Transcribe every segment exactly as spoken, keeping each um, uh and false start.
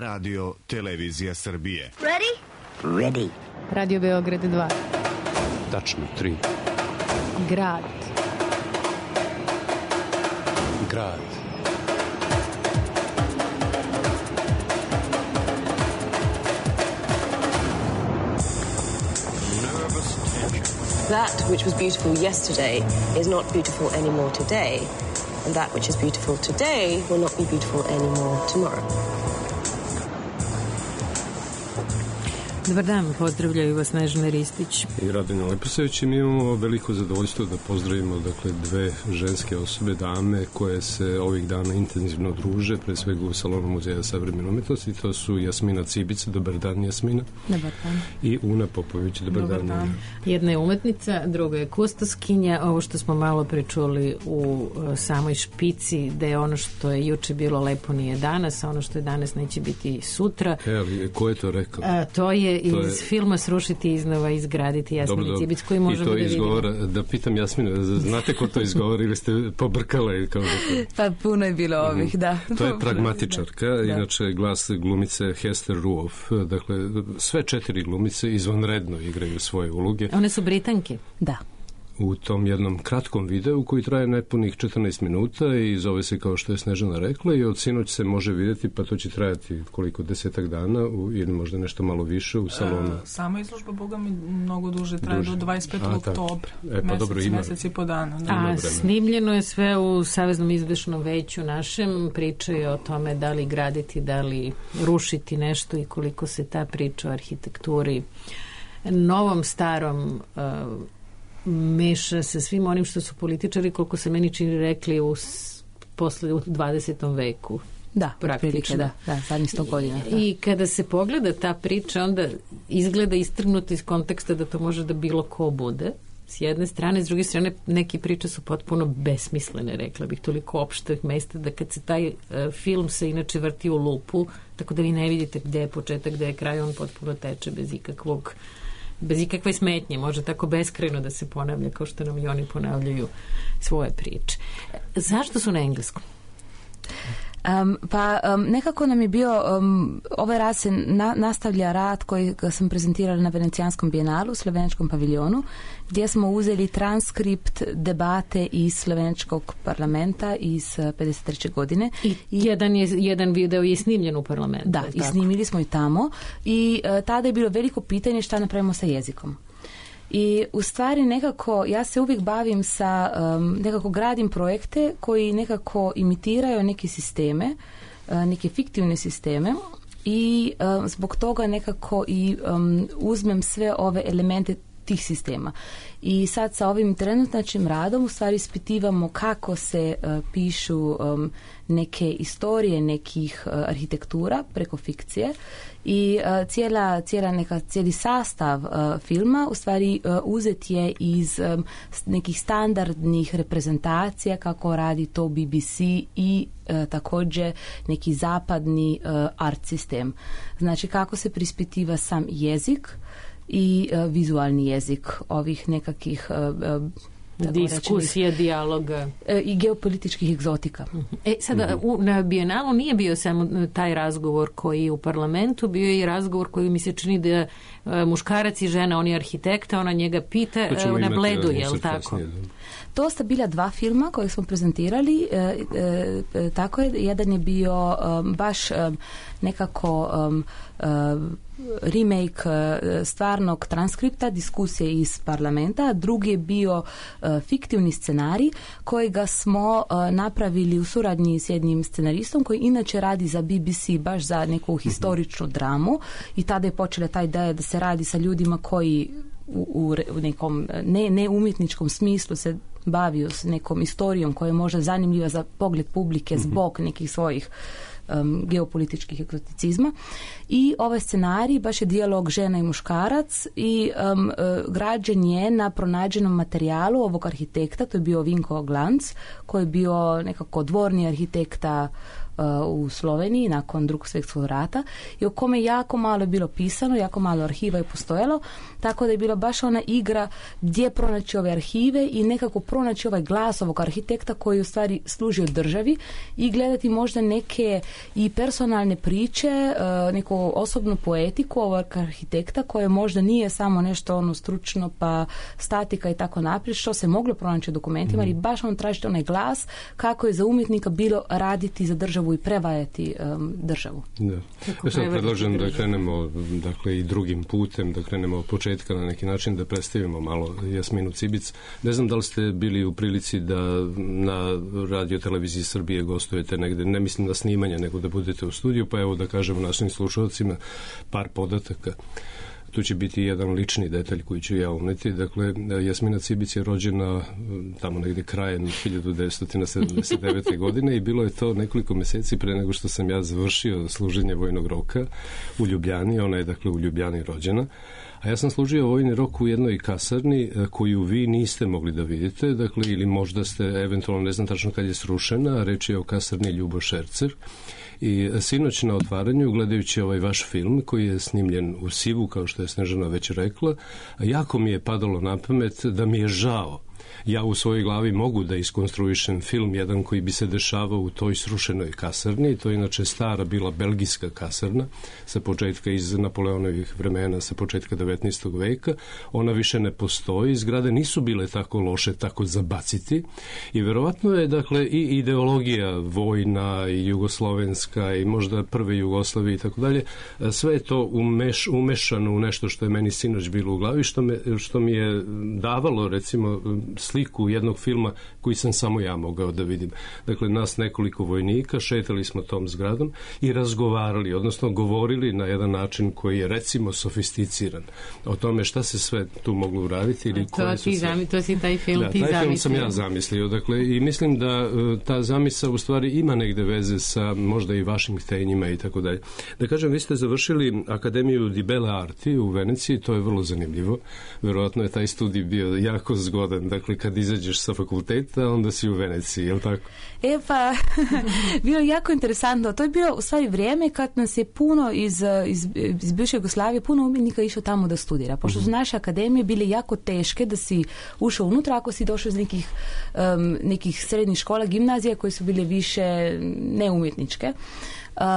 Radio Televizija Srbije. Ready? Ready. Radio Beograd dva. Tačno tri. Grad. Grad. That which was beautiful yesterday is not beautiful anymore today, and that which is beautiful today will not be beautiful anymore tomorrow. Dobar dan, pozdravljaju vas Snežana Ristić i Radina Leposavić. Mi imamo veliko zadovoljstvo da pozdravimo dakle dve ženske osobe, dame koje se ovih dana intenzivno druže, pre svega u Salonu Muzeja savremene umetnosti. To su Jasmina Cibica, dobar dan Jasmina. Dobar dan. I Una Popović, dobar, dobar dan. dan. Jedna je umetnica, druga je kustoskinja. Ovo što smo malo pričuli u samoj špici, da je ono što je juče bilo lepo nije danas, a ono što je danas neće biti sutra. E, ali ko je to rekao? A, to je iz je... filma Srušiti iznova, izgraditi Jasmini Cibic, koji možemo da vidimo. I to izgovara, da pitam Jasmina, znate ko to izgovara ili ste pobrkala? Kao da to... Pa puno je bilo ovih, da. To je pragmatičarka, da. Inače glas glumice Hester Ruoff. Dakle, sve četiri glumice izvanredno igraju svoje uloge. One su Britanke? Da. U tom jednom kratkom videu koji traje nepunih četrnaest minuta i zove se kao što je Snežana rekla i od sinoć se može vidjeti, pa to će trajati koliko, desetak dana u, ili možda nešto malo više u salonu. E, sama izložba, boga mi, mnogo duže traje duže. Do dvadeset petog oktobra. E, pa mesec, dobro, ima. Mesec i po dana. Da. A snimljeno je sve u Saveznom izvršnom veću našem. Pričaju o tome da li graditi, da li rušiti nešto i koliko se ta priča o arhitekturi novom, starom uh, meša sa svim onim što su političari, koliko se meni čini rekli u, posle, u dvadesetom veku. Da, praktično. Da, da, zadnjih sto godina. Da. I kada se pogleda ta priča, onda izgleda istrgnuta iz konteksta da to može da bilo ko bude. S jedne strane, s druge strane, neki priče su potpuno besmislene, rekla bih, toliko opštih mesta da kad se taj uh, film se inače vrti u lupu, tako da vi ne vidite gde je početak, gde je kraj, on potpuno teče bez ikakvog bez ikakve smetnje, može tako beskrajno da se ponavlja kao što nam i oni ponavljaju svoje priče. Zašto su na engleskom? Um, pa um, nekako nam je bio um, ovaj rad se na, nastavlja rad koji sam prezentirala na Venecijanskom bijenalu u Slovenačkom paviljonu, gdje smo uzeli transkript debate iz Slovenačkog parlamenta iz pedeset treće godine. I, I jedan, je, jedan video je snimljen u parlamentu. Da, i snimili smo i tamo i uh, tada je bilo veliko pitanje šta napravimo sa jezikom. I u stvari nekako ja se uvijek bavim sa um, nekako gradim projekte koji nekako imitiraju neke sisteme, uh, neke fiktivne sisteme i uh, zbog toga nekako i um, uzmem sve ove elemente tih sistema. I sad sa ovim trenutačnim radom u stvari ispitivamo kako se uh, pišu um, neke istorije nekih uh, arhitektura preko fikcije i uh, cijela, cijela neka, cijeli sastav uh, filma u stvari uh, uzet je iz um, nekih standardnih reprezentacija kako radi to B B C i uh, također neki zapadni uh, art sistem. Znači kako se prispitiva sam jezik i uh, vizualni jezik ovih nekakvih uh, uh, diskusija, dijaloga uh, i geopolitičkih egzotika. E, sada, uh-huh. u, na Bijenalu nije bio samo taj razgovor koji je u parlamentu, bio je i razgovor koji mi se čini da uh, muškarac i žena, on je arhitekta, ona njega pita uh, na Bledu, je li tako? Kasnije, to sta bila dva filma koje smo prezentirali, e, e, e, tako je, jedan je bio um, baš um, nekako um, um, remake uh, stvarnog transkripta diskusije iz parlamenta, drugi je bio uh, fiktivni scenarij kojega smo uh, napravili u suradnji s jednim scenaristom koji inače radi za B B C baš za neku historičnu dramu i tada je počela ta ideja da se radi sa ljudima koji u, u nekom ne, ne umjetničkom smislu se bavio s nekom istorijom koja je možda zanimljiva za pogled publike zbog nekih svojih um, geopolitičkih egzoticizma. I ovaj scenarij baš je dijalog žena i muškarac i um, uh, građen je na pronađenom materijalu ovog arhitekta, to je bio Vinko Glanc, koji je bio nekako dvorni arhitekta u Sloveniji nakon drugog svjetskog rata i o kome jako malo je bilo pisano, jako malo arhiva je postojalo, tako da je bila baš ona igra gdje pronaći ove arhive i nekako pronaći ovaj glas ovog arhitekta koji u stvari služi od državi i gledati možda neke i personalne priče, neku osobnu poetiku ovog arhitekta koje možda nije samo nešto ono stručno pa statika i tako naprijed, što se moglo pronaći u dokumentima, ali baš on tražiti onaj glas kako je za umjetnika bilo raditi za državu i prevajati um, državu. Da. Ja sam predlažem da krenemo dakle i drugim putem, da krenemo od početka na neki način, da predstavimo malo Jasminu Cibic. Ne znam da li ste bili u prilici da na Radio Televiziji Srbije gostujete negde, ne mislim na snimanje, nego da budete u studiju, pa evo da kažemo našim slušalcima par podataka. Tu će biti jedan lični detalj koji ću ja uneti. Dakle, Jasmina Cibic je rođena tamo negde krajem hiljadu devetsto sedamdeset devete. godine i bilo je to nekoliko meseci pre nego što sam ja završio služenje vojnog roka u Ljubljani. Ona je dakle u Ljubljani rođena. A ja sam služio vojni rok u jednoj kasarni koju vi niste mogli da vidite, dakle, ili možda ste, eventualno, ne znam tačno kad je srušena, reč je o kasarni Ljubo Šercer. I sinoć na otvaranju, gledajući ovaj vaš film koji je snimljen u Sivu, kao što je Snežana već rekla, jako mi je padalo na pamet da mi je žao. Ja u svojoj glavi mogu da iskonstruišem film jedan koji bi se dešavao u toj srušenoj kasarni. To je inače stara bila belgijska kasarna sa početka iz Napoleonovih vremena, sa početka devetnaestog veka. Ona više ne postoji. Zgrade nisu bile tako loše, tako zabaciti. I verovatno je dakle i ideologija vojna i jugoslovenska i možda prve Jugoslavije i tako dalje. Sve je to umeš, umešano u nešto što je meni sinoć bilo u glavi, što, me, što mi je davalo recimo sliku jednog filma koji sam samo ja mogao da vidim. Dakle, nas nekoliko vojnika, šetali smo tom zgradom i razgovarali, odnosno govorili na jedan način koji je recimo sofisticiran o tome šta se sve tu moglo uraditi. Ili to, ti sve... zami, to si taj film da, ti taj zamislio. film sam ja zamislio. Dakle, i mislim da ta zamisa u stvari ima negde veze sa možda i vašim htenjima i tako dalje. Da kažem, vi ste završili Akademiju di Belle Arti u Veneciji, to je vrlo zanimljivo. Verovatno je taj studij bio jako zgodan. Dakle, kad izađeš sa fakulteta, onda si u Veneciji, je li tako? E pa, bilo je jako interesantno. To je bilo u stvari vrijeme kad nas je puno iz, iz, iz bivše Jugoslavije, puno umjetnika išao tamo da studira. Pošto su naše akademije bile jako teške da si ušao unutra, ako si došao iz nekih, um, nekih srednjih škola, gimnazija koje su bile više neumjetničke.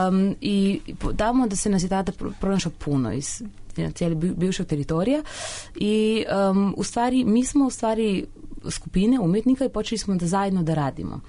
Um, I tamo da se nas je tada pronašao puno iz cijeli bivšeg teritorija i um, u stvari, mi smo u stvari skupine umjetnika i počeli smo da zajedno da radimo.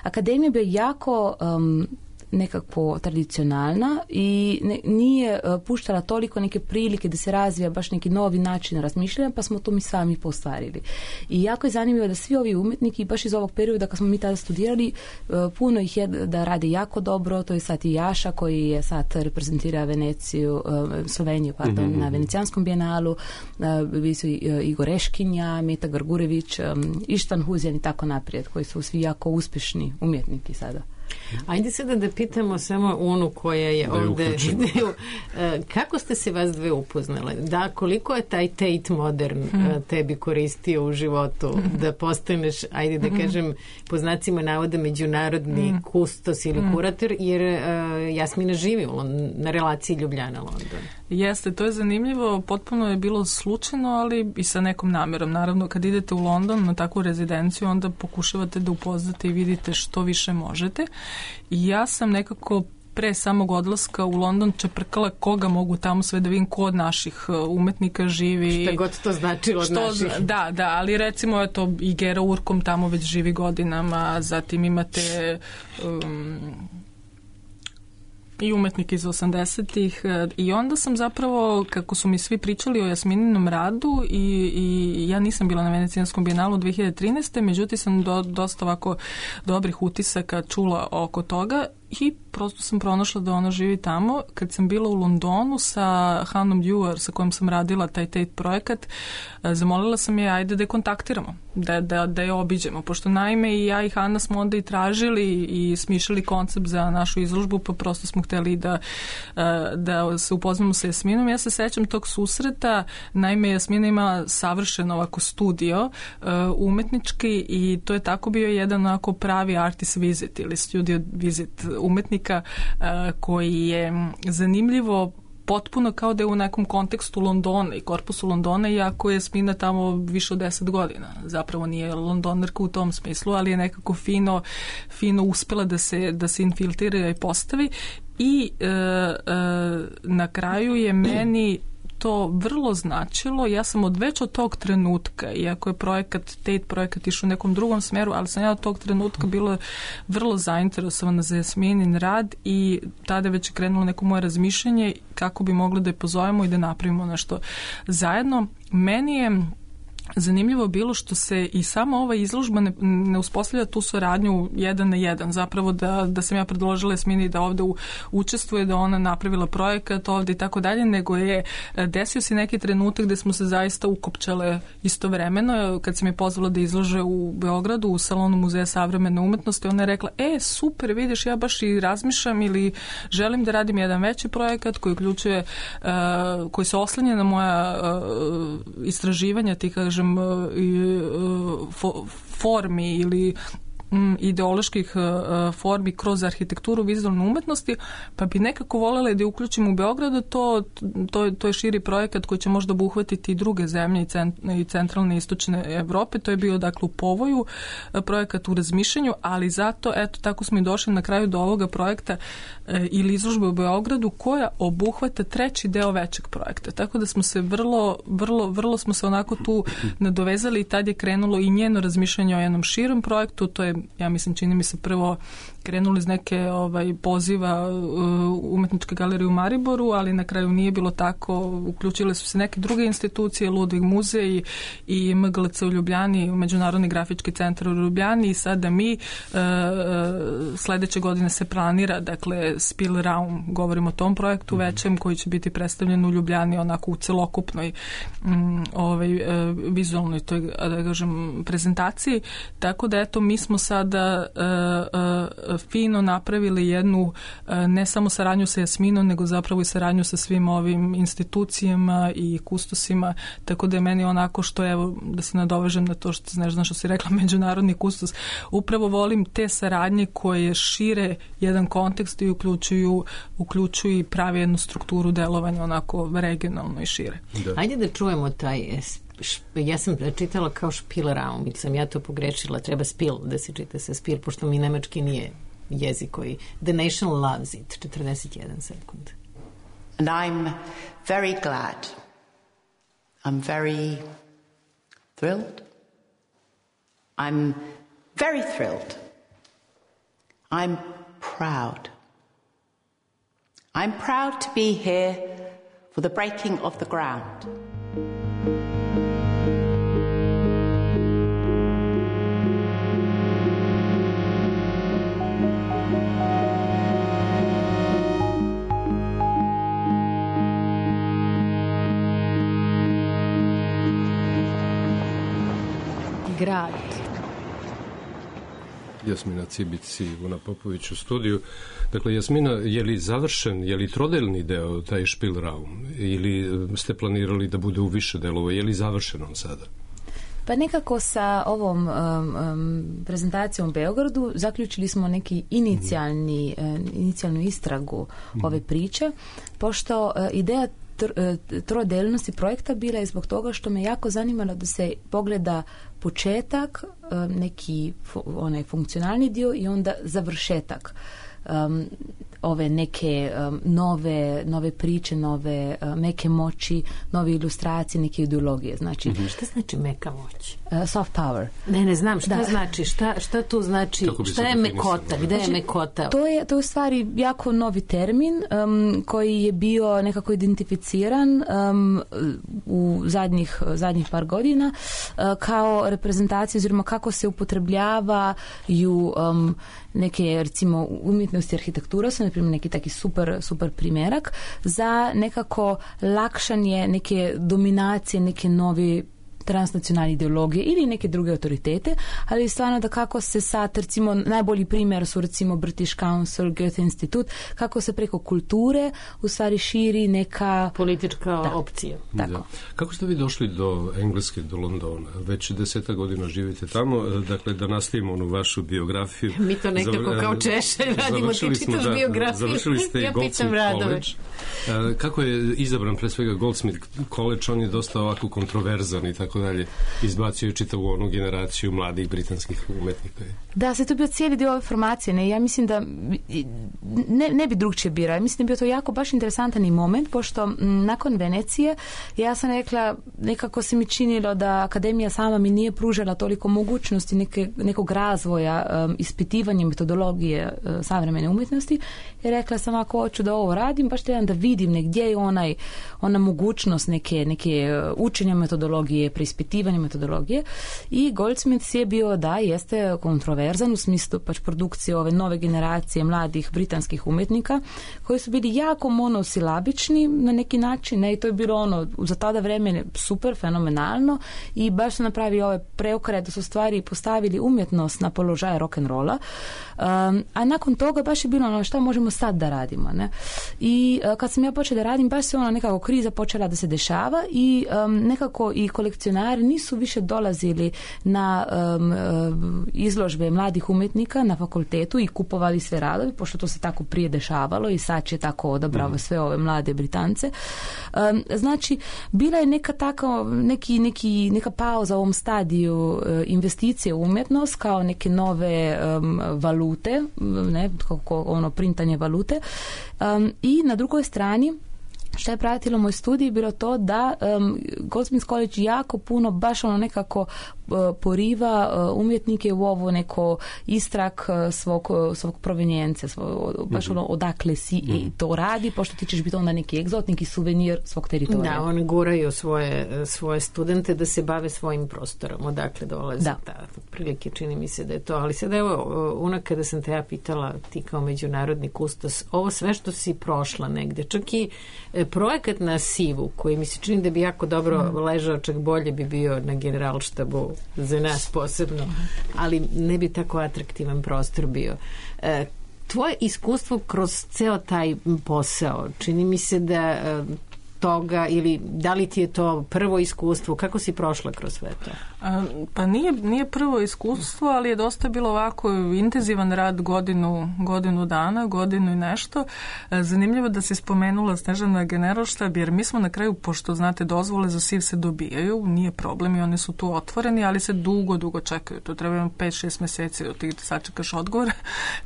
Akademija je jako um, nekako tradicionalna i ne, nije uh, puštala toliko neke prilike da se razvija baš neki novi način razmišljanja, pa smo to mi sami postvarili. I jako je zanimljivo da svi ovi umjetniki, baš iz ovog perioda kad smo mi tada studirali, uh, puno ih je da rade jako dobro. To je sad i Jaša koji je sad reprezentira Veneciju, uh, Sloveniju, pardon, mm-hmm. na Venecijanskom bijenalu, uh, bili su uh, Igor Eškinja, Meta Gargurević, um, Ištan Huzjan i tako naprijed, koji su svi jako uspješni umjetniki sada. Ajde sada da pitamo samo onu koja je ovde. Kako ste se vas dve upoznale? Da, koliko je taj Tate Modern hmm. tebi koristio u životu da postaneš, ajde da kažem, po znacima navoda međunarodni hmm. kustos ili hmm. kurator, jer uh, Jasmina živi u, na relaciji Ljubljana-London. Jeste, to je zanimljivo, potpuno je bilo slučajno, ali i sa nekom namjerom. Naravno, kad idete u London na takvu rezidenciju, onda pokušavate da upoznate i vidite što više možete. I ja sam nekako pre samog odlaska u London čeprkala koga mogu tamo sve da vidim, ko od naših umetnika živi. Šta god to znači od što, naših. Da, da, ali recimo eto, i Gera Urkom tamo već živi godinama, zatim imate um, i umetnike iz osamdesetih i onda sam zapravo, kako su mi svi pričali o Jasmininom radu i, i ja nisam bila na Venecijanskom bijenalu dve hiljade trinaeste. Međutim sam do, dosta ovako dobrih utisaka čula oko toga i prosto sam pronašla da ona živi tamo. Kad sam bila u Londonu sa Hanom Dewar, sa kojom sam radila taj Tate projekat, zamolila sam je ajde da je kontaktiramo, da, da, da je obiđemo, pošto naime i ja i Hana smo onda i tražili i smišljali koncept za našu izložbu, pa prosto smo hteli da, da se upoznamo sa Jasminom. Ja se sećam tog susreta, naime Jasmina ima savršen ovako studio umetnički i to je tako bio jedan onako pravi artist visit ili studio visit umetnika koji je zanimljivo potpuno kao da je u nekom kontekstu Londona i korpusu Londona, iako je Jasmina tamo više od deset godina. Zapravo nije Londonarka u tom smislu, ali je nekako fino, fino uspela da se, da se infiltrira i postavi. I e, e, na kraju je meni to vrlo značilo. Ja sam od već od tog trenutka, iako je projekat, Tate projekat išao u nekom drugom smeru, ali sam ja od tog trenutka bila vrlo zainteresovana za Jasminin rad i tada je već krenulo neko moje razmišljanje kako bi mogli da je pozovemo i da napravimo nešto zajedno. Meni je zanimljivo bilo što se i sama ova izložba ne, ne uspostavlja tu saradnju jedan na jedan. Zapravo da, da sam ja predložila Jasmini da ovde u, učestvuje, da ona napravila projekat ovde i tako dalje, nego je desio se neki trenutak gde smo se zaista ukopčale istovremeno. Kad sam je pozvala da izlože u Beogradu u salonu Muzeja savremene umetnosti, ona je rekla, e, super, vidiš, ja baš i razmišljam ili želim da radim jedan veći projekat koji uključuje, uh, koji se oslanja na moja uh, istraživanja, ti kažem, formi ili ideoloških formi kroz arhitектuru vizualne umetnosti, pa bi nekako voljela da je uključim u Beogradu. To, to, to je širi projekat koji će možda obuhvatiti i druge zemlje i, cent, i centralne i istočne Evrope. To je bio dakle u povoju, projekat u razmišljanju, ali zato, eto, tako smo i došli na kraju do ovoga projekta e, ili izložbe u Beogradu koja obuhvata treći deo većeg projekta. Tako da smo se vrlo, vrlo, vrlo smo se onako tu nadovezali i tad je krenulo i njeno razmišljanje o jednom širom projektu. To je, ja mislim, čini mi se prvo krenuli iz neke ovaj, poziva uh, Umetničke galerije u Mariboru, ali na kraju nije bilo tako. Uključile su se neke druge institucije, Ludvig muzej i M G L C u Ljubljani, Međunarodni grafički centar u Ljubljani i sada mi uh, sledeće godine se planira, dakle, Spielraum, govorimo o tom projektu mm-hmm. većem koji će biti predstavljen u Ljubljani onako u celokupnoj um, ovaj, uh, vizualnoj toj, da kažem, prezentaciji. Tako da, eto, mi smo sada uh, uh, fino napravili jednu ne samo saradnju sa Jasminom, nego zapravo i saradnju sa svim ovim institucijama i kustosima, tako da je meni onako što, evo, da se nadovežem na to što, ne znam što si rekla, međunarodni kustos, upravo volim te saradnje koje šire jedan kontekst i uključuju, uključuju i pravi jednu strukturu delovanja onako regionalno i šire. Da. Ajde da čujemo taj, ja sam čitala kao Spielraum, ili sam ja to pogrešila, treba Spiel da se čita sa Spiel, pošto mi nemački nije jezik koji... The nation loves it. četrdeset jedan sekund. And I'm very glad. I'm very thrilled. I'm very thrilled. I'm proud. I'm proud to be here for the breaking of the ground. Grad. Jasmina Cibic i Ivona Popović u studiju. Dakle, Jasmina, je li završen, je li trodelni deo taj Spielraum ili ste planirali da bude u više delova, je li završen on sada? Pa nekako sa ovom um, um, prezentacijom u Beogradu zaključili smo neki inicijalni, mm. uh, inicijalnu istragu mm. ove priče, pošto uh, ideja trodelnosti projekta bila je zbog toga što me jako zanimalo da se pogleda početak, neki onaj funkcionalni dio i onda završetak um, ove neke um, nove, nove priče, nove uh, meke moći, nove ilustracije, neke ideologije. Znači, mm-hmm. Šta znači meka moć? Uh, soft power. Ne, ne znam šta da. znači, šta, šta tu znači, šta je mekota, gde je mekota? To je, to je u stvari jako novi termin um, koji je bio nekako identificiran um, u zadnjih, zadnjih par godina uh, kao reprezentacija, oziroma kako se upotrebljavaju um, neke, recimo, umjetnosti i arhitektura su, na primjer, neki taki super, super primjerak za nekako lakšanje neke dominacije, neke novi transnacionalne ideologije ili neke druge autoritete, ali stvarno da kako se sad, recimo, najbolji primjer su recimo British Council, Goethe institut, kako se preko kulture u stvari širi neka politička da. opcija. Tako. Da. Kako ste vi došli do Engleske, do Londona? Već deseta godina živite tamo, dakle da nastavimo onu vašu biografiju. Mi to nekako Zav... kao Češelj radimo, ti čitaš da, biografiju. Završili ste ja Goldsmith College. Kako je izabran pre svega Goldsmith College? On je dosta ovako kontroverzan i tako dalje. Izbacio je čitavu onu generaciju mladih britanskih umetnika. Da, se to bio cijeli dio ove formacije. Ne? Ja mislim da ne, ne bi drugčije birao. Ja mislim da bi bio to jako baš interesantan i moment, pošto m, nakon Venecije ja sam rekla, nekako se mi činilo da akademija sama mi nije pružala toliko mogućnosti neke, nekog razvoja, um, ispitivanja metodologije uh, savremene umjetnosti i rekla sam, ako hoću da ovo radim, baš trebam da vidim negdje je onaj, ona mogućnost neke, neke učenja metodologije, preispitivanja metodologije i Goldsmith je bio, da, jeste kontroverzan u smislu pač produkcije ove nove generacije mladih britanskih umjetnika koji su bili jako monosilabični na neki način, ne, i to je bilo ono za tada vreme super, fenomenalno i baš su napravili ove preokret da su stvari postavili umjetnost na položaje rock'n'rolla, um, a nakon toga baš je bilo ono šta možemo sad da radimo, ne? I uh, kad sam ja počela da radim, baš se ona nekako kriza počela da se dešava i um, nekako i kolekcionari nisu više dolazili na um, uh, izložbe mladih umjetnika na fakultetu i kupovali sve radovi, pošto to se tako prije dešavalo i sad će tako odabravo mm. sve ove mlade Britance. Um, znači, bila je neka tako, neki, neki, neka pauza u ovom stadiju uh, investicije u umjetnost kao neke nove um, valute, ne, kako ono printanje valute. Um, I na drugoj strani što je pratilo moj studij bilo to da um, Goldsmith College jako puno baš ono nekako uh, poriva uh, umjetnike u ovo neko istrak uh, svog, uh, svog provenjence, svog, baš mm-hmm. ono odakle si mm-hmm. i to radi, pošto ti ćeš biti onda neki egzot, neki suvenir svog teritorija. Da, oni guraju svoje, svoje studente da se bave svojim prostorom, odakle dolaze. Da. Da, prilike čini mi se da je to, ali sad evo, una kada sam te ja pitala, ti kao međunarodni kustos, ovo sve što si prošla negde, čak i projekat na Sivu, koji mi se čini da bi jako dobro mm. ležao, čak bolje bi bio na generalštabu za nas posebno, ali ne bi tako atraktivan prostor bio. E, tvoje iskustvo kroz ceo taj posao, čini mi se da e, toga, ili da li ti je to prvo iskustvo, kako si prošla kroz sve to? A, pa nije, nije prvo iskustvo, ali je dosta bilo ovako intenzivan rad godinu, godinu dana, godinu i nešto. Zanimljivo da si spomenula Snežana generalštab, jer mi smo na kraju, pošto znate, dozvole za Siv se dobijaju, nije problem i oni su tu otvoreni, ali se dugo, dugo čekaju. To treba pet šest meseci da ti sačekaš odgovor.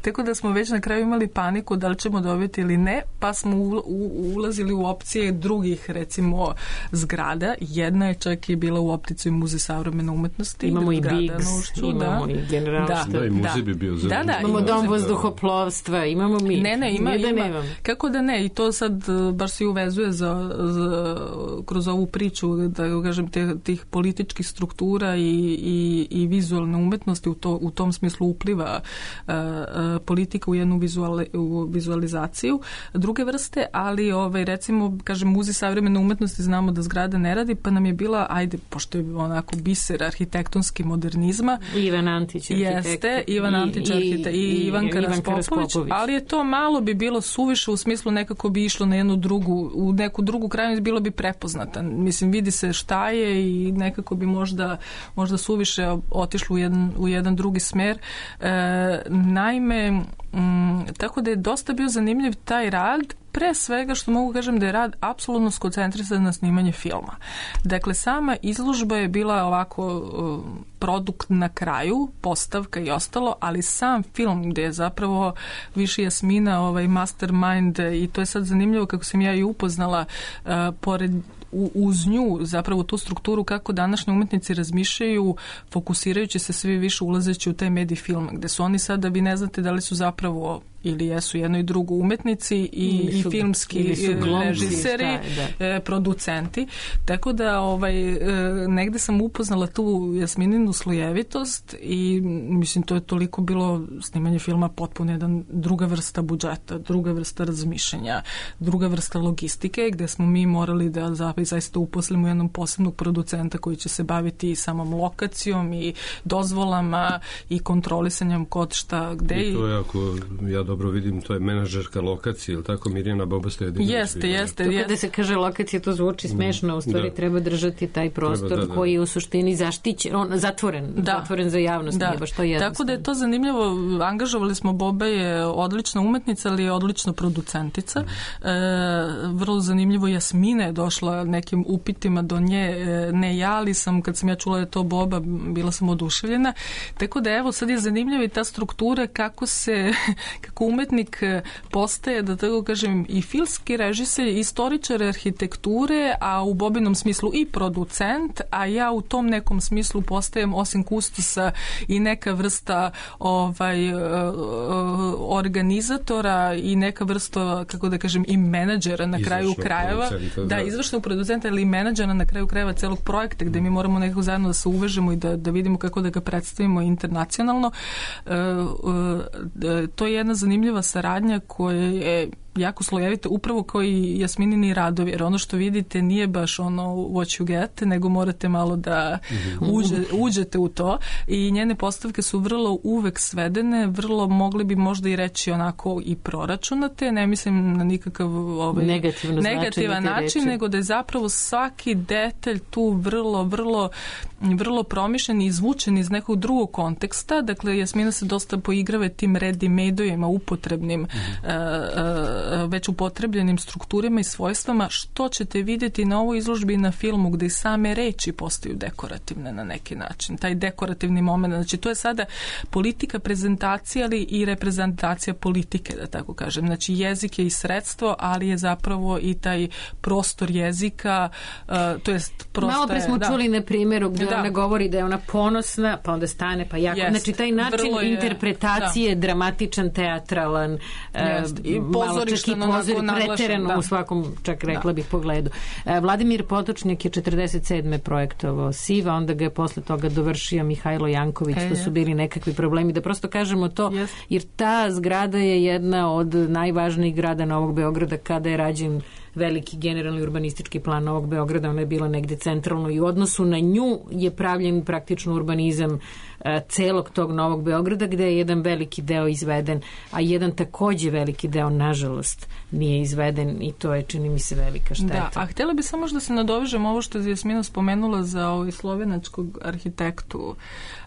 Tako da smo već na kraju imali paniku da li ćemo dobiti ili ne, pa smo u, u, ulazili u opcije drugih, recimo, zgrada. Jedna je čak i bila u optici Muzej savremene umetnosti. Imamo i Biggs, imamo da. i generalštab. Da, da, i muzej bi bio da, da, imamo dom vazduhoplovstva, imamo mi. Ne, ne, ima, da ima. Nemam. Kako da ne? I to sad baš se uvezuje za, za, kroz ovu priču, da kažem, te, tih političkih struktura i, i, i vizualne umetnosti, u, to, u tom smislu upliva uh, uh, politika u jednu vizuali, u vizualizaciju druge vrste, ali ovaj, recimo, kažem, Muzej savremene umetnosti znamo da zgrada ne radi, pa nam je bila, ajde, pošto je onako biser arhitektonski modernizma. Ivan Antić arhitekt. Jeste, Ivan Antić arhitekt i, i, i Ivanka Raspopović, ali je to malo bi bilo suviše u smislu nekako bi išlo na jednu drugu, u neku drugu krajnost bilo bi prepoznata. Mislim, vidi se šta je i nekako bi možda, možda suviše otišlo u jedan, u jedan drugi smer. E, naime, m, tako da je dosta bio zanimljiv taj rad, pre svega što mogu kažem da je rad apsolutno skoncentrisan na snimanje filma. Dakle, sama izložba je bila ovako uh, produkt na kraju, postavka i ostalo, ali sam film gde je zapravo više Jasmina ovaj mastermind i to je sad zanimljivo kako sam ja i upoznala uh, pored U, uz nju, zapravo tu strukturu kako današnji umetnici razmišljaju, fokusirajući se sve više ulazeći u taj medij film, gde su oni sada, vi ne znate da li su zapravo ili jesu jedno i drugo umetnici i, su, i filmski režiseri, da. e, producenti. Tako da ovaj, e, negde sam upoznala tu Jasmininu jednu slojevitost i mislim to je toliko bilo snimanje filma potpuno jedan druga vrsta budžeta, druga vrsta razmišljanja, druga vrsta logistike gde smo mi morali da zaista uposlimo jednom posebnog producenta koji će se baviti i samom lokacijom i dozvolama i kontrolisanjem kod šta gde. I to je, ako ja dobro vidim, to je menadžerka lokacije, ili tako, Mirjana Boba-Stojadinović? Jeste, jeste. To kada se kaže lokacija, to zvuči smešno, u stvari da. Treba držati taj prostor treba, da, da. koji je u suštini zaštićen, on, zatvoren, da. zatvoren za javnost, da. nije baš to jednostavno. Tako da je to zanimljivo, angažovali smo, Boba je odlična umetnica, ali je odlična producentica. Mm. E, vrlo zanimljivo, Jasmina je došla nekim upitima do nje, e, ne ja, ali sam, kad sam ja čula da je to Boba, bila sam oduševljena. Tako da evo, sad je zanimljiva i ta struktura kako se, kako umetnik postaje, da tako kažem, i filmski režiser, istoričar arhitekture, a u Bobinom smislu i producent, a ja u tom nekom smislu postajem osim kustosa i neka vrsta ovaj, organizatora i neka vrsta, kako da kažem, i menadžera na kraju krajeva. Da, da, izvršnog producenta ili menadžera na kraju krajeva celog projekta, gde mi moramo nekako zajedno da se uvežemo i da, da vidimo kako da ga predstavimo internacionalno. E, e, to je jedna zanimljiva saradnja koja je jako slojevita, upravo kao i Jasminini radovi, jer ono što vidite nije baš ono what you get, nego morate malo da uđe, uđete u to i njene postavke su vrlo uvek svedene, vrlo mogli bi možda i reći onako i proračunate, ne mislim na nikakav ovaj, negativan način, nego da je zapravo svaki detalj tu vrlo, vrlo vrlo promišljen i izvučen iz nekog drugog konteksta, dakle Jasmina se dosta poigrava tim ready-made-ovima, upotrebnim mm-hmm. uh, uh, već upotrebljenim strukturama i svojstvama, što ćete vidjeti na ovoj izložbi i na filmu gde i same reči postaju dekorativne na neki način. Taj dekorativni moment, znači to je sada politika prezentacije, ali i reprezentacija politike, da tako kažem. Znači jezik je i sredstvo, ali je zapravo i taj prostor jezika, uh, to jest prosto. Malo pre smo da. čuli na primjeru gde da. ona govori da je ona ponosna, pa onda stane, pa jako. Jest. Znači taj način je, interpretacije da. dramatičan, teatralan, i pozorištan, preterano da. u svakom, čak rekla da. bih, pogledu. Vladimir Potočnjak je četrdeset sedme projektovao Siva, onda ga je posle toga dovršio Mihajlo Janković, e, to su bili nekakvi problemi, da prosto kažemo to, yes. jer ta zgrada je jedna od najvažnijih grada Novog Beograda kada je rađen veliki generalni urbanistički plan Novog Beograda, ona je bila negde centralno i u odnosu na nju je pravljen praktično urbanizam e, celog tog Novog Beograda, gde je jedan veliki deo izveden, a jedan takođe veliki deo, nažalost, nije izveden i to je, čini mi se, velika šteta. Da, a htjela bi samo što se nadovežem ovo što je Jasmina spomenula za ovaj slovenačkog arhitektu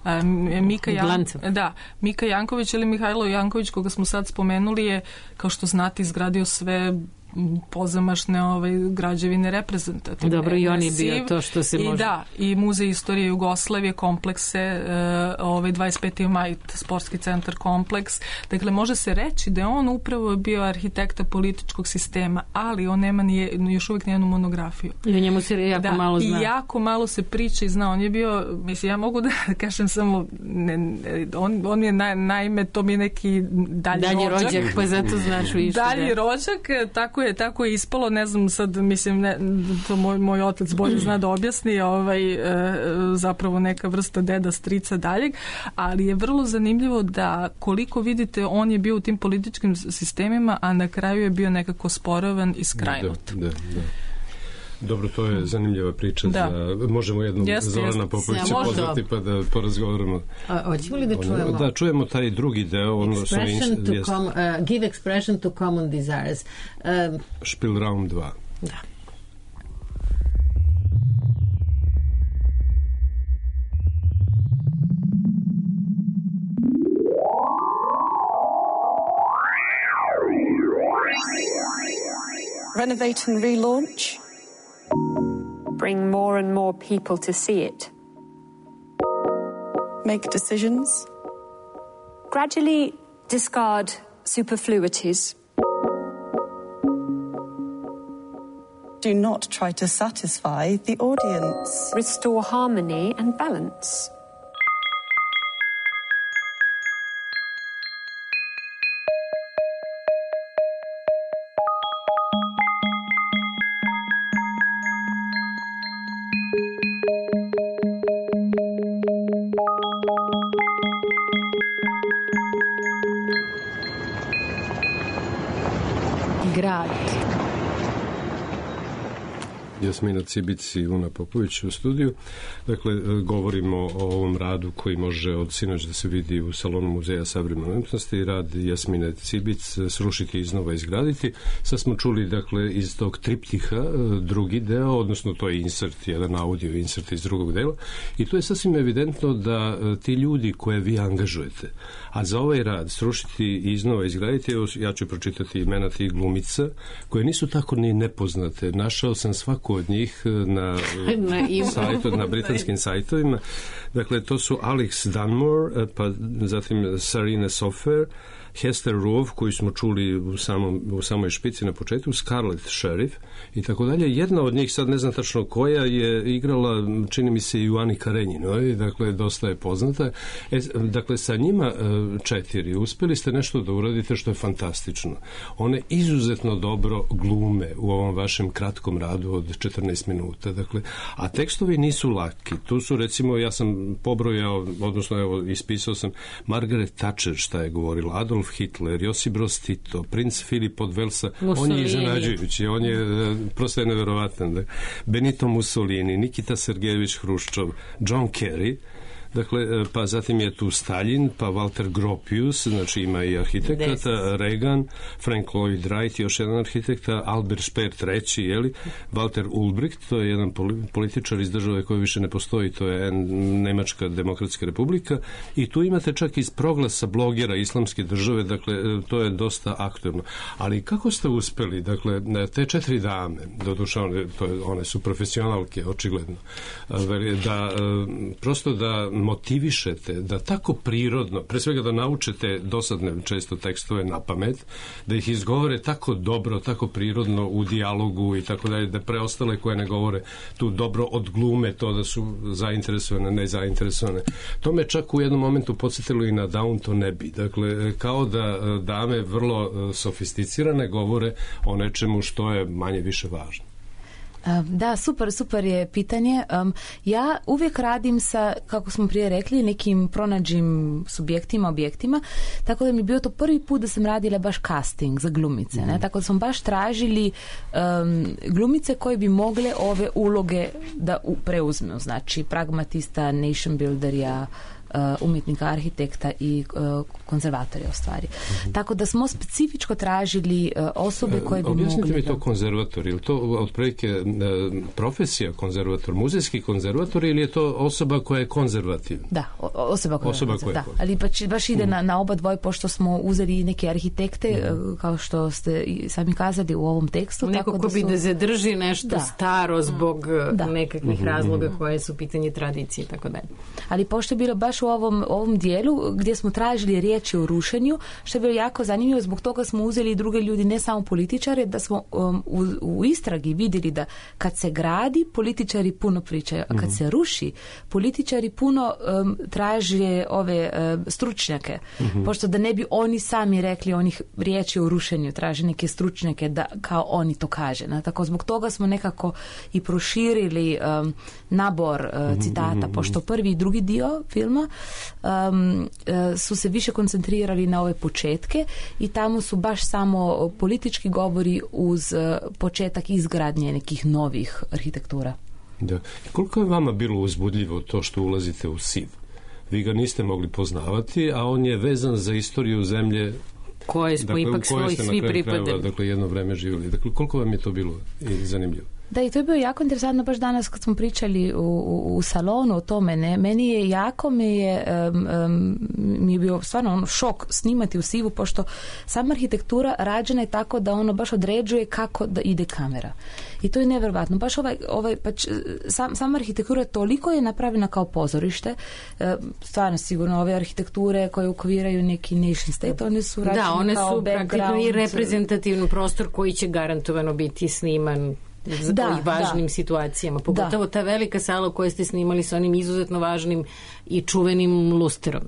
a, Mika, Jan... da, Mika Janković ili Mihajlo Janković, koga smo sad spomenuli, je, kao što znate, izgradio sve pozamašne ovaj, građevine reprezentativne. Dobro, i on je bio to što se I može. Da, i Muzej istorije Jugoslavije, komplekse, uh, ovaj dvadeset peti maj, sportski centar kompleks. Dakle, može se reći da je on upravo bio arhitekta političkog sistema, ali on nema nije, još uvijek nijednu monografiju. I o njemu se jako da, malo zna. I jako malo se priča i zna. On je bio, mislim, ja mogu da kažem samo, ne, on, on je naj, naime, to mi je neki dalji, dalji rođak. rođak, pa zato znaš više. Dalji da. rođak, tako je, tako je ispalo, ne znam sad, mislim, ne, to moj, moj otac bolje zna da objasni, ovaj, e, zapravo neka vrsta deda, strica daljeg, ali je vrlo zanimljivo da koliko vidite, on je bio u tim političkim sistemima, a na kraju je bio nekako sporavan i skrajnut. Da, da, da. Dobro, to je zanimljiva priča. Da. Za, možemo jednom yes, Zorana Popovića ja, pozvati pa da porazgovaramo. Hoćemo li da čujemo? Da, čujemo taj drugi deo. Ono, expression to com, uh, give expression to common desires. Um, Spielraum dva. Da. Renovate and relaunch. Bring more and more people to see it. Make decisions. Gradually discard superfluities. Do not try to satisfy the audience. Restore harmony and balance. Grad. Jasmina Cibic i Una Popović u studiju. Dakle, govorimo o ovom radu koji može od sinoć da se vidi u Salonu Muzeja savremene umjetnosti, rad Jasmine Cibic Srušiti, iznova izgraditi. Sad smo čuli, dakle, iz tog triptiha drugi deo, odnosno to je insert, jedan audio insert iz drugog dela, i tu je sasvim evidentno da ti ljudi koje vi angažujete, a za ovaj rad Srušiti i iznova izgraditi, evo, ja ću pročitati imena tih glumica koje nisu tako ni nepoznate. Našao sam svako od njih na, na, sajtu, na britanskim sajtovima. Dakle, to su Alex Dunmore, pa zatim Sarina Sofer, Hester Rove, koju smo čuli u, samom, u samoj špici na početku, Scarlett Sheriff i tako dalje. Jedna od njih, sad ne znam tačno koja, je igrala, čini mi se, i u Ani Karenjinoj, dakle, dosta je poznata. E, dakle, sa njima četiri uspeli ste nešto da uradite što je fantastično. One izuzetno dobro glume u ovom vašem kratkom radu od četrnaest minuta. Dakle, a tekstovi nisu laki. Tu su, recimo, ja sam pobrojao, odnosno, evo, ispisao sam Margaret Thatcher šta je govorila, Adolf Hitler, Josip Broz Tito, princ Filip od Velsa, Mussolini. On je iznenađujući, on je prosto je neverovatan. Da. Benito Mussolini, Nikita Sergejević Hruščov, John Kerry, dakle, pa zatim je tu Stalin, pa Walter Gropius, znači ima i arhitekata, Reagan, Frank Lloyd Wright, još jedan arhitekta, Albert Speer treći, jeli, Walter Ulbricht, to je jedan političar iz države koja više ne postoji, to je Nemačka demokratska republika, i tu imate čak iz proglasa blogera islamske države, dakle, to je dosta aktuelno. Ali kako ste uspeli, dakle, te četiri dame, doduše one, to je, one su profesionalke, očigledno, da prosto da motivišete, da tako prirodno, pre svega da naučete dosadne često tekstove na pamet, da ih izgovore tako dobro, tako prirodno u dijalogu i tako dalje, da preostale koje ne govore tu dobro odglume to da su zainteresovane, ne zainteresovane. To me čak u jednom momentu podsjetilo i na Downton Abbey. Dakle, kao da dame vrlo sofisticirane govore o nečemu što je manje više važno. Da, super, super je pitanje. Um, ja uvijek radim sa, kako smo prije rekli, nekim pronađim subjektima, objektima, tako da mi je bio to prvi put da sam radila baš casting za glumice. Mm. Ne? Tako da smo baš tražili um, glumice koje bi mogle ove uloge da u, preuzmu. Znači, pragmatista, nation builderja, umjetnika, arhitekta i uh, konzervatorja u stvari. Mm-hmm. Tako da smo specifičko tražili uh, osobe koje bi Objasnite mogli... Objasnite mi to konzervator, ili to otprilike uh, profesija konzervator, muzejski konzervator, ili je to osoba koja je konzervativna? Da, o, osoba koja osoba je konzervativna. Da, ali baš, baš ide mm. na, na oba dvoje, pošto smo uzeli neke arhitekte, mm. uh, kao što ste sami kazali u ovom tekstu. Neko tako ko da bi su... da zadrži nešto da. staro zbog da. nekakvih mm-hmm. razloga koje su pitanje tradicije i tako dalje. Ali pošto je bilo baš u ovom, ovom dijelu gdje smo tražili riječi o rušenju, što je bilo jako zanimljivo, zbog toga smo uzeli i druge ljudi, ne samo političare, da smo um, u, u istragi vidjeli da kad se gradi, političari puno pričaju, a kad mm-hmm. se ruši, političari puno um, traže ove um, stručnjake, mm-hmm. pošto da ne bi oni sami rekli onih riječi o rušenju, traže neke stručnjake da kao oni to kaže. Na, tako zbog toga smo nekako i proširili um, nabor uh, citata, mm-hmm. pošto prvi i drugi dio filma um, su se više koncentrirali na ove početke i tamo su baš samo politički govori uz početak izgradnje nekih novih arhitektura. Da. Koliko je vama bilo uzbudljivo to što ulazite u S I V? Vi ga niste mogli poznavati, a on je vezan za istoriju zemlje koje smo dakle, ipak svoj svi pripadali. Dakle, jedno vreme živjeli. Dakle, koliko vam je to bilo i zanimljivo? Da, i to je bilo jako interesantno baš danas kad smo pričali u, u, u salonu o tome. Ne? Meni je jako me je, um, um, mi je bio stvarno ono šok snimati u S I V-u, pošto sama arhitektura rađena je tako da ono baš određuje kako da ide kamera. I to je nevjerojatno. Baš ovaj, ovaj pač, sam, sama arhitektura toliko je napravljena kao pozorište. E, stvarno sigurno ove arhitekture koje ukviraju neki nation state, one su rađene kao background. Da, one su praktično i reprezentativni prostor koji će garantovano biti sniman za da, važnim da. situacijama. Pogotovo da. ta velika sala koju ste snimali sa onim izuzetno važnim i čuvenim lusterom.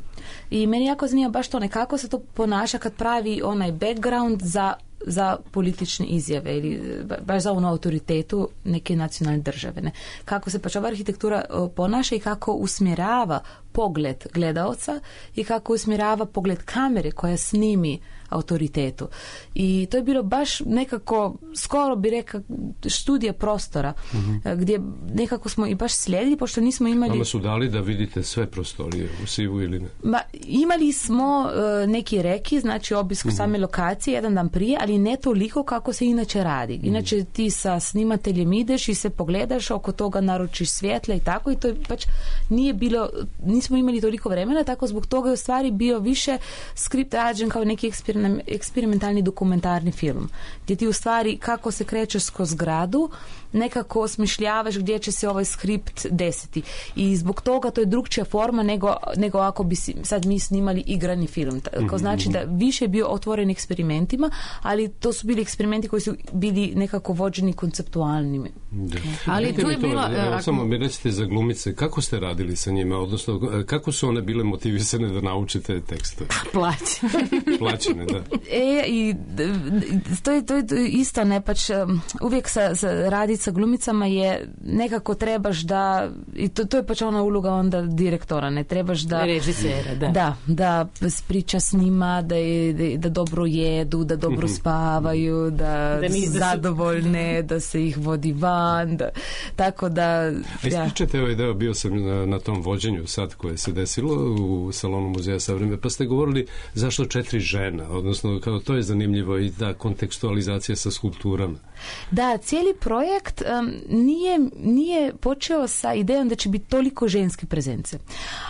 I meni jako zanima baš to nekako se to ponaša kad pravi onaj background za za politične izjave ili baš za onu autoritetu neke nacionalne države. Ne? Kako se pač ova arhitektura ponaša i kako usmjerava pogled gledaoca i kako usmjerava pogled kamere koja snimi autoritetu. I to je bilo baš nekako, skoro bi rekao, studija prostora, mm-hmm. gdje nekako smo i baš slijedili, pošto nismo imali... Vama su dali da vidite sve prostorije u Sivu ili ne? Ma, imali smo uh, neki reki, znači obisk mm-hmm. same lokacije jedan dan prije, ali ne toliko kako se inače radi. Inače ti sa snimateljem ideš i se pogledaš, oko toga naručiš svjetla i tako, i to je baš nije bilo, nismo imali toliko vremena, tako zbog toga je u stvari bio više skript rađen kao neki eksperiment eksperimentalni dokumentarni film, gdje ti u stvari kako se krećeš kroz zgradu, nekako osmišljavaš gdje će se ovaj skript desiti. I zbog toga to je drugčija forma nego, nego ako bi si, sad mi snimali igrani film. Tako znači da više je bio otvoren eksperimentima, ali to su bili eksperimenti koji su bili nekako vođeni konceptualnim. Da. Ali tu je bilo... Evo, samo mi recite za glumice, kako ste radili sa njima, odnosno kako su one bile motivisane da naučite tekste? Plaćene. Plaćene, da. E, i to je, to je isto, ne, pač uvijek sa, sa raditi sa glumicama je nekako trebaš da, i to, to je pač ona uloga onda direktora, ne trebaš da... Režisera, da. Da, da priča s njima, da, je, da, da dobro jedu, da dobro spavaju, da, da su zadovoljne, da se ih vodi van, da, tako da... A ispričate ovaj deo, bio sam na, na tom vođenju sad koje se desilo u Salonu muzeja savremene, pa ste govorili zašto četiri žena, odnosno kao to je zanimljivo i ta kontekstualizacija sa skulpturama. Da, cijeli projekt um, nije, nije počeo sa idejom da će biti toliko ženske prezence.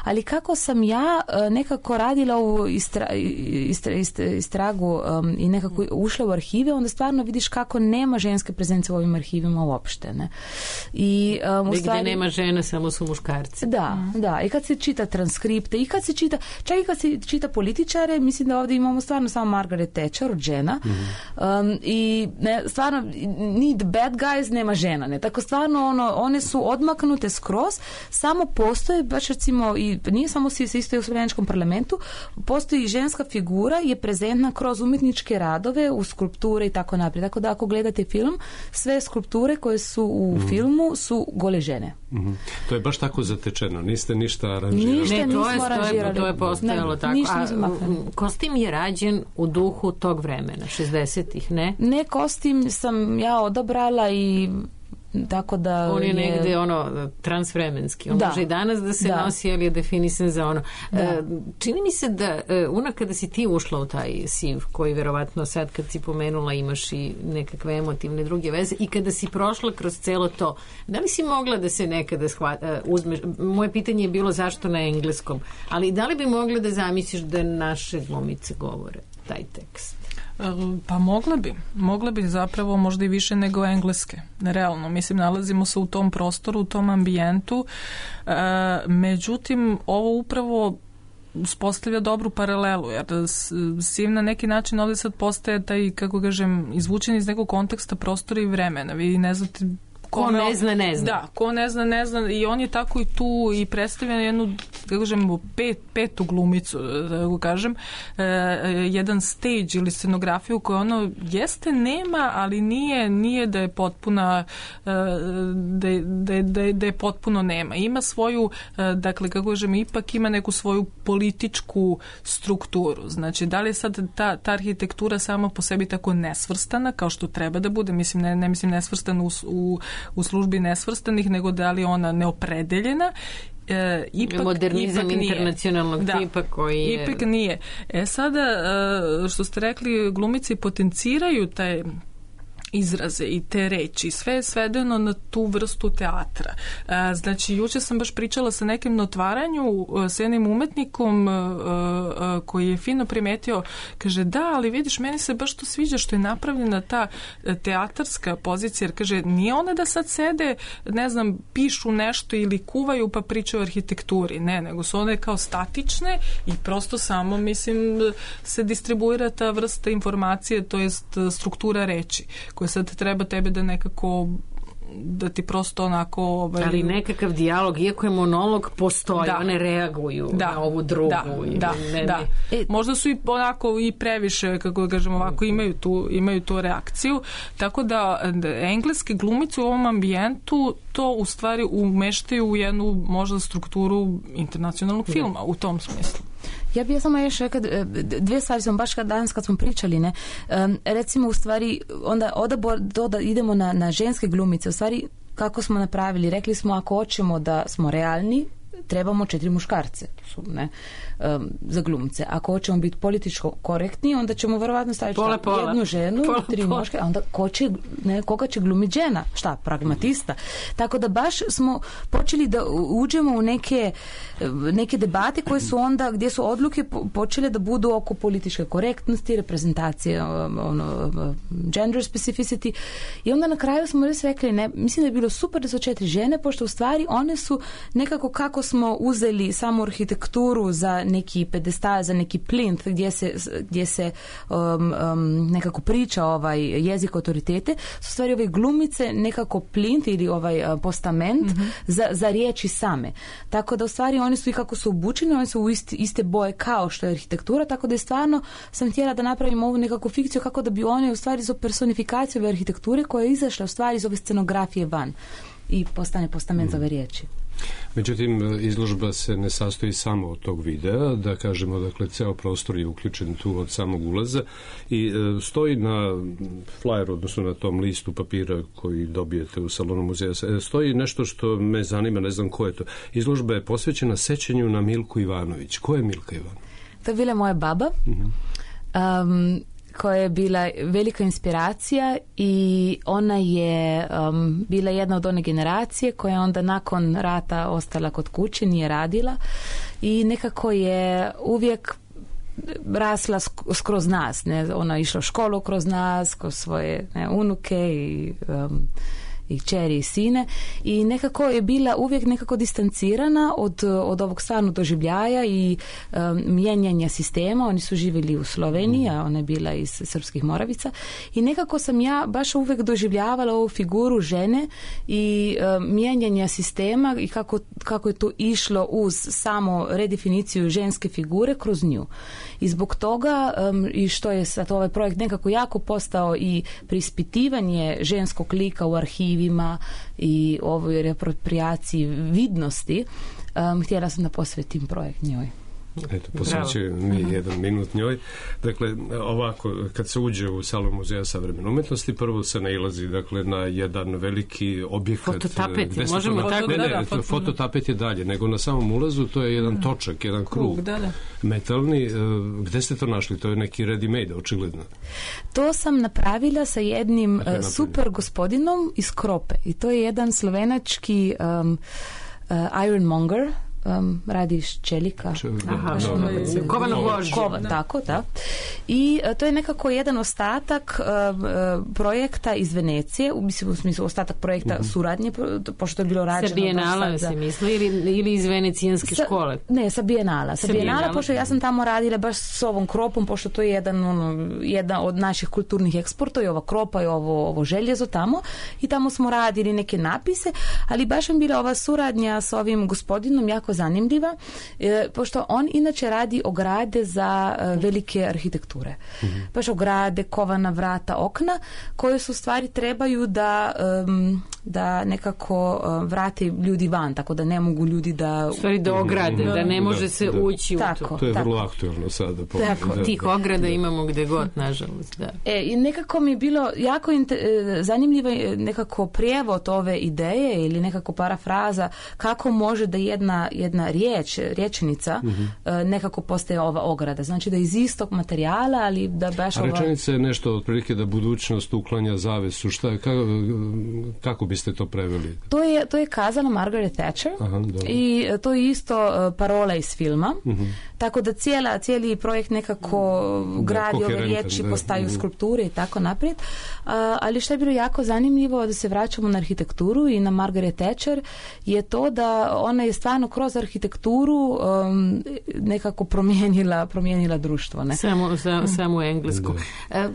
Ali kako sam ja uh, nekako radila u istra, istra, istra, istragu um, i nekako ušla u arhive, onda stvarno vidiš kako nema ženske prezence u ovim arhivima uopšte. Ne? I, um, Gdje stvari, nema žena, samo su muškarci. Da, mm. da. I kad se čita transkripte, i kad se čita, čak i kad se čita političare, mislim da ovdje imamo stvarno samo Margaret Thatcher od žena. Mm-hmm. Um, I ne, stvarno need bad guys, nema žena. Ne? Tako stvarno ono, one su odmaknute skroz, samo postoje, baš recimo, i nije samo se isto u Sloveničkom parlamentu, postoji i ženska figura, je prezentna kroz umjetničke radove, u skulpture i tako naprijed. Tako da ako gledate film, sve skulpture koje su u mm-hmm. filmu su gole žene. Mm-hmm. To je baš tako zatečeno, niste ništa aranžirali. Ništa ne, to nismo je, aranžirali. To je postojalo ne, tako. A kostim je rađen u duhu tog vremena, šezdesetih, ne? Ne, kostim sam ja odabrala i tako da on je, je negde ono transvremenski, on da. može i danas da se da. nosi, ali je definisan za ono da. e, čini mi se da e, una kada si ti ušla u taj siv koji verovatno sad kad si pomenula imaš i nekakve emotivne druge veze i kada si prošla kroz celo to, da li si mogla da se nekada shvata, uzmeš, moje pitanje je bilo zašto na engleskom, ali da li bi mogla da zamisliš da naše glumice govore taj tekst? Pa mogle bi. Mogle bi zapravo možda i više nego engleske. Realno. Mislim, nalazimo se u tom prostoru, u tom ambijentu. E, međutim, ovo upravo uspostavlja dobru paralelu, jer Siv na neki način ovdje sad postaje taj, kako kažem, izvučen iz nekog konteksta prostora i vremena. Vi ne znate ko ne zna, ne zna. Da, ko ne zna, ne zna. I on je tako i tu i predstavlja jednu, kako kažem, pet, petu glumicu, da kažem, e, jedan stage ili scenografiju koja ono jeste nema, ali nije, nije da je potpuna, e, da, da, da, da je potpuno nema. Ima svoju, e, dakle, kako kažem, ipak ima neku svoju političku strukturu. Znači, da li je sad ta, ta arhitektura sama po sebi tako nesvrstana, kao što treba da bude, mislim, ne, ne mislim nesvrstana u, u u službi nesvrstanih, nego da li ona neopredeljena. E, ipak, modernizam ipak internacionalnog da, tipa koji je... Ipak nije. E sada, što ste rekli, glumici potenciraju taj izraze i te reči, sve je svedeno na tu vrstu teatra. Znači, juče sam baš pričala sa nekim na otvaranju s jednim umetnikom koji je fino primetio, kaže, da, ali vidiš, meni se baš to sviđa što je napravljena ta teatarska pozicija, jer kaže, nije ona da sad sede, ne znam, pišu nešto ili kuvaju pa pričaju o arhitekturi, ne, nego su one kao statične i prosto samo, mislim, se distribuira ta vrsta informacije, to jest struktura reči koja sad treba tebe da nekako da ti prosto onako... Ovaj, ali nekakav dijalog, iako je monolog, postoji, da. one reaguju da. na ovu drugu. Da, ili da, ne, da. Ne. E, možda su i onako i previše, kako da kažem ovako, imaju tu, imaju tu reakciju, tako da, da engleske glumice u ovom ambijentu to u stvari umeštaju u jednu možda strukturu internacionalnog filma, u tom smislu. Ja bih samo još rekao, dvije stvari sam baš kad danas kad smo pričali, ne, um, recimo u stvari onda odabor, to da idemo na, na ženske glumice, u stvari kako smo napravili, rekli smo ako hoćemo da smo realni, trebamo četiri muškarce su, ne, um, za glumce. Ako hoćemo biti političko korektni, onda ćemo verovatno staviti pola, pola. jednu ženu, pola, tri pola. muške, a onda ko će, ne, koga će glumiti žena? Šta? Pragmatista. Tako da baš smo počeli da uđemo u neke, neke debate koje su onda, gdje su odluke počele da budu oko političke korektnosti, reprezentacije, ono, gender specificity. I onda na kraju smo res rekli, ne, mislim da je bilo super da su četiri žene, pošto u stvari one su nekako kako smo uzeli samu arhitekturu za neki pedestal, za neki plint gdje se, gdje se um, um, nekako priča ovaj jezik autoritete, su stvari ove glumice nekako plint ili ovaj uh, postament mm-hmm. za, za riječi same. Tako da u stvari oni su i kako su obučeni, oni su u isti, iste boje kao što je arhitektura, tako da je stvarno sam htjela da napravim ovu nekakvu fikciju kako da bi one u stvari za personifikaciju ove arhitekture koja je izašla u stvari iz ove scenografije van i postane postament mm. za ove riječi. Međutim, izložba se ne sastoji samo od tog videa, da kažemo, dakle, ceo prostor je uključen tu od samog ulaza i e, stoji na flyeru, odnosno na tom listu papira koji dobijete u salonu muzeja, stoji nešto što me zanima, ne znam ko je to. Izložba je posvećena sećanju na Milku Ivanović. Ko je Milka Ivanović? To je bila moja baba. Mm-hmm. Um, koja je bila velika inspiracija i ona je um, bila jedna od one generacije koja je onda nakon rata ostala kod kuće, nije radila i nekako je uvijek rasla skroz nas. Ne? Ona je išla u školu kroz nas, kroz svoje ne, unuke i um, i kćeri i sine i nekako je bila uvijek nekako distancirana od, od ovog stvarnog doživljaja i um, mijenjanja sistema. Oni su živjeli u Sloveniji, a ona je bila iz Srpskih Moravica i nekako sam ja baš uvijek doživljavala ovu figuru žene i um, mijenjanja sistema i kako, kako je to išlo uz samo redefiniciju ženske figure kroz nju. I zbog toga um, i što je sad ovaj projekt nekako jako postao i preispitivanje ženskog lika u arhivi i ovoj reaproprijaciji vidnosti, um, htjela sam da posvetim projekt njoj. Eto, posvećujem mi jedan minut njoj. Dakle, ovako, kad se uđe u salon Muzeja savremene umetnosti, prvo se nailazi, dakle, na jedan veliki objekat. Fototapet, možemo to, tako ne, ne, da, da, fototapet je dalje, nego na samom ulazu to je jedan točak, jedan krug, krug da, da. metalni. Gde ste to našli? To je neki ready-made, očigledno. To sam napravila sa jednim uh, super gospodinom iz Krope i to je jedan slovenački um, uh, ironmonger. Um, radi iz čelika. Kovana gvožđa. Kova, tako, da. I uh, to je nekako jedan ostatak uh, uh, projekta iz Venecije, u, mislim, u smislu ostatak projekta uh-huh. suradnje, pošto je bilo rađeno. Sa Bijenala se misli ili, ili iz venecijanske sa, škole? Ne, sa Bijenala. Sa, sa Bijenala, Bijenala, pošto ja sam tamo radila baš s ovom Kropom, pošto to je jedan, ono, jedan od naših kulturnih eksporta i ova Kropa i ovo, ovo željezo tamo i tamo smo radili neke napise, ali baš mi bila ova suradnja s ovim gospodinom jako zanimljiva, e, pošto on inače radi ograde za e, velike arhitekture. Mm-hmm. Baš ograde, kovana vrata, okna, koje su stvari trebaju da um, da nekako uh, vrate ljudi van, tako da ne mogu ljudi da... Stvari da ograde, mm-hmm. da ne može da, se da. ući tako, u to. To je tako. vrlo aktualno sada. Po, tako, da, tih ograda imamo gde god, nažalost. Da. E, i nekako mi je bilo jako inter, zanimljivo nekako prijevod ove ideje ili nekako parafraza kako može da jedna, jedna riječ, riječenica mm-hmm. nekako postaje ova ograda. Znači da iz istog materijala, ali da baš... A rečenica je nešto otprilike da budućnost uklanja zavesu. Šta, kako, kako biste to preveli? To je, to je kazala Margaret Thatcher. Aha, i to je isto parola iz filma. Mm-hmm. Tako da cijela, cijeli projekt nekako da, gradi ove riječi, da, postaju da. skulpture i tako naprijed. Uh, ali što je bilo jako zanimljivo da se vraćamo na arhitekturu i na Margaret Thatcher je to da ona je stvarno kroz arhitekturu um, nekako promijenila, promijenila društvo. Ne? Samo, sa, samo u englesku. Da.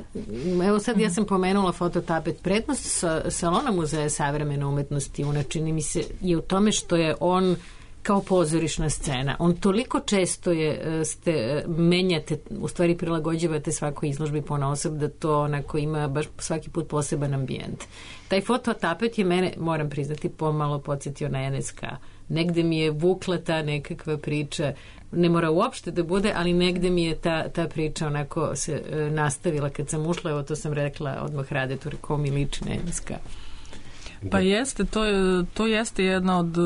Evo sad ja sam pomenula fototapet. Prednost sa, salona Muzeja savremene savremena umetnost Juna, čini mi se, je u tome što je on kao pozorišna scena. On toliko često je, ste, menjate, u stvari prilagođavate svakoj izložbi ponaosob da to onako ima baš svaki put poseban ambijent. Taj fototapet je mene, moram priznati, pomalo podsjetio na N S K. Negde mi je vukla ta nekakva priča, ne mora uopšte da bude, ali negde mi je ta, ta priča onako se e, nastavila kad sam ušla, evo to sam rekla odmah Radetu, rekao mi liči na N S K. Pa jeste, to, je, to jeste jedna od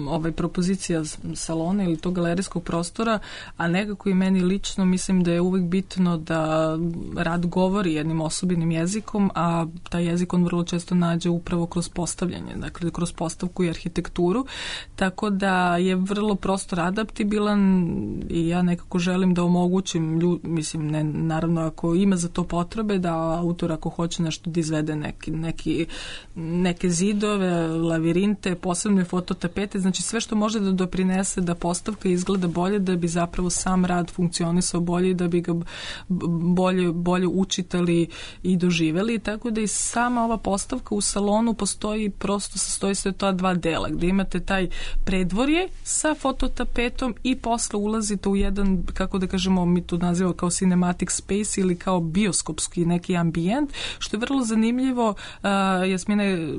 ovaj, propozicija salona ili tog galerijskog prostora, a nekako i meni lično mislim da je uvijek bitno da rad govori jednim osobinim jezikom, a taj jezik on vrlo često nađe upravo kroz postavljanje, dakle kroz postavku i arhitekturu, tako da je vrlo prostor adaptibilan i ja nekako želim da omogućim, lju, mislim, ne, naravno ako ima za to potrebe, da autor ako hoće nešto da izvede neki, neki, neke zid zidove, lavirinte, posebne fototapete, znači sve što može da doprinese da postavka izgleda bolje, da bi zapravo sam rad funkcionisao bolje i da bi ga bolje, bolje učitali i doživeli, tako da i sama ova postavka u salonu postoji, prosto sastoji se ta dva dela, gde imate taj predvorje sa fototapetom i posle ulazite u jedan, kako da kažemo, mi to nazivamo kao cinematic space ili kao bioskopski neki ambijent, što je vrlo zanimljivo. Uh, Jasmina je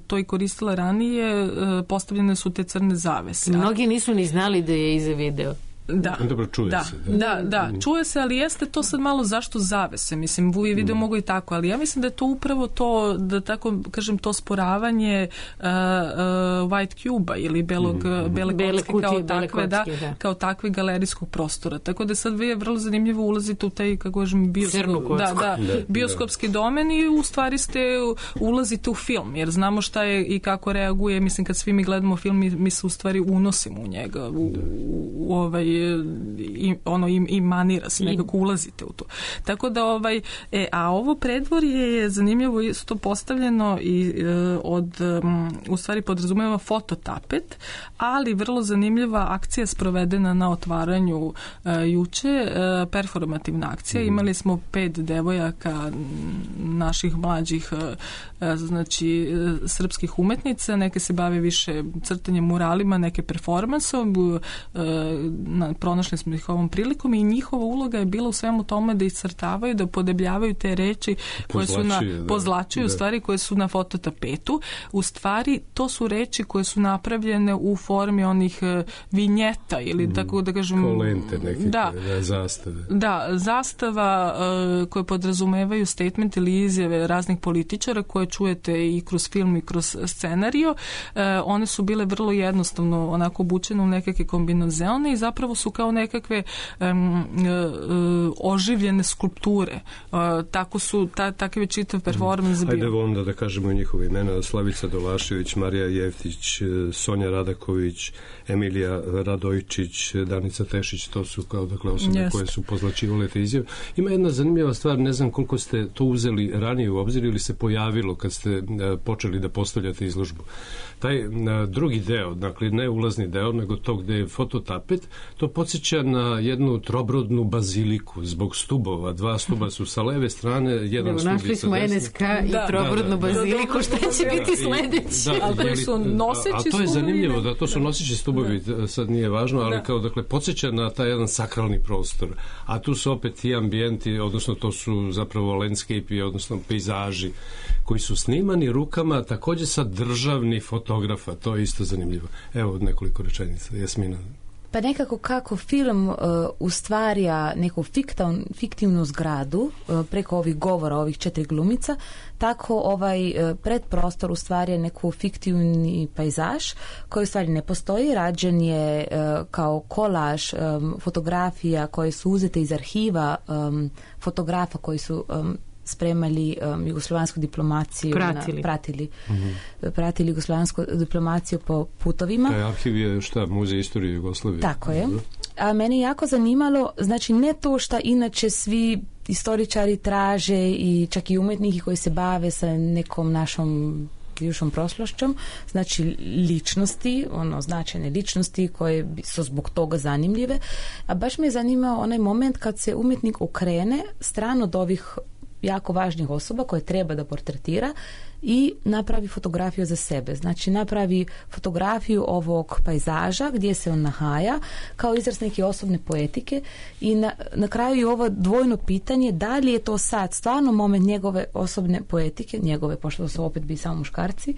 to i koristila ranije, uh, postavljene su te crne zavese. Mnogi nisu ni znali da je iza video. Da, dobro, čuje da, se. Da, da, da, čuje se, ali jeste to sad malo zašto zavese, mislim, u video mm. mogu i tako, ali ja mislim da je to upravo to, da tako kažem, to sporavanje uh, uh, white cube-a ili belog, mm. bele, bele kocke kao, bele takve, kocke, da, da. kao takve galerijskog prostora. Tako da sad vi je vrlo zanimljivo ulazite u taj, kako kažem, bioskop, da, da, da, bioskopski domen i u stvari ste ulazite u film, jer znamo šta je i kako reaguje, mislim, kad svi mi gledamo film, mi, mi se u stvari unosimo u njega, u, u ovaj i ono i, i manira se, nekako ulazite u to. Tako da ovaj e, a ovo predvorje je zanimljivo isto postavljeno i e, od um, u stvari podrazumeva fototapet, ali vrlo zanimljiva akcija sprovedena na otvaranju e, juče, e, performativna akcija. Mm. Imali smo pet devojaka naših mlađih e, znači e, srpskih umetnica, neke se bave više crtanjem muralima, neke performansom, e, na pronašli smo ih ovom prilikom i njihova uloga je bila u svemu tome da iscrtavaju, da podebljavaju te reči koje su na, pozlačuju u stvari koje su na fototapetu. U stvari to su reči koje su napravljene u formi onih vinjeta ili mm. tako da kažem kao lente neke, da, da, zastave. Da, zastava uh, koje podrazumevaju statement ili izjave raznih političara koje čujete i kroz film i kroz scenario. Uh, one su bile vrlo jednostavno onako obučene u nekakve kombinazione i zapravo su kao nekakve um, uh, oživljene skulpture. Uh, tako su, ta, takav je čitav performans bio. Ajde onda da kažemo njihove imena: Slavica Dolašević, Marija Jeftić, Sonja Radaković, Emilija Radojčić, Danica Tešić, to su kao dakle osobe Jest. koje su pozlačivale te izjave. Ima jedna zanimljiva stvar, ne znam koliko ste to uzeli ranije u obzir ili se pojavilo kad ste uh, počeli da postavljate izložbu. Taj uh, drugi deo, dakle ne ulazni deo, nego to gde je fototapet, to podsjeća na jednu trobrodnu baziliku zbog stubova. Dva stuba su sa leve strane, jedan Evo, stub je sa desne. Našli smo N S K i da, trobrodnu da, da, baziliku, šta će da, biti sledeći? Da, ali su noseći a, a to je zanimljivo, da to su noseći stubovi, da. sad nije važno, ali da. kao dakle podsjeća na taj jedan sakralni prostor. A tu su opet ti ambijenti, odnosno to su zapravo landscape, odnosno pejzaži koji su snimani rukama takođe sa državnih fotografa. To je isto zanimljivo. Evo nekoliko rečenica. Jasmina. Pa nekako kako film uh, ustvarja neku fiktivnu, fiktivnu zgradu uh, preko ovih govora, ovih četiri glumica, tako ovaj uh, predprostor ustvarja neku fiktivni pejzaž koji u stvari ne postoji, rađen je uh, kao kolaž um, fotografija koje su uzete iz arhiva um, fotografa koji su um, spremali um, jugoslovansku diplomaciju, pratili, na, pratili, mm-hmm. pratili jugoslovansku diplomaciju po putovima. Taj arhiv je šta, Muzej istorije Jugoslavije. Tako je. A mene je jako zanimalo, znači ne to što inače svi istoričari traže i čak i umetniki koji se bave sa nekom našom bivšom prošlošćom, znači ličnosti, ono značajne ličnosti koje su zbog toga zanimljive. A baš me je zanimao onaj moment kad se umjetnik okrene stran od ovih jako važnih osoba koje treba da portretira i napravi fotografiju za sebe. Znači napravi fotografiju ovog pejzaža gdje se on nahaja kao izraz neke osobne poetike i na, na kraju je ovo dvojno pitanje da li je to sad stvarno moment njegove osobne poetike, njegove, pošto su opet bi samo muškarci,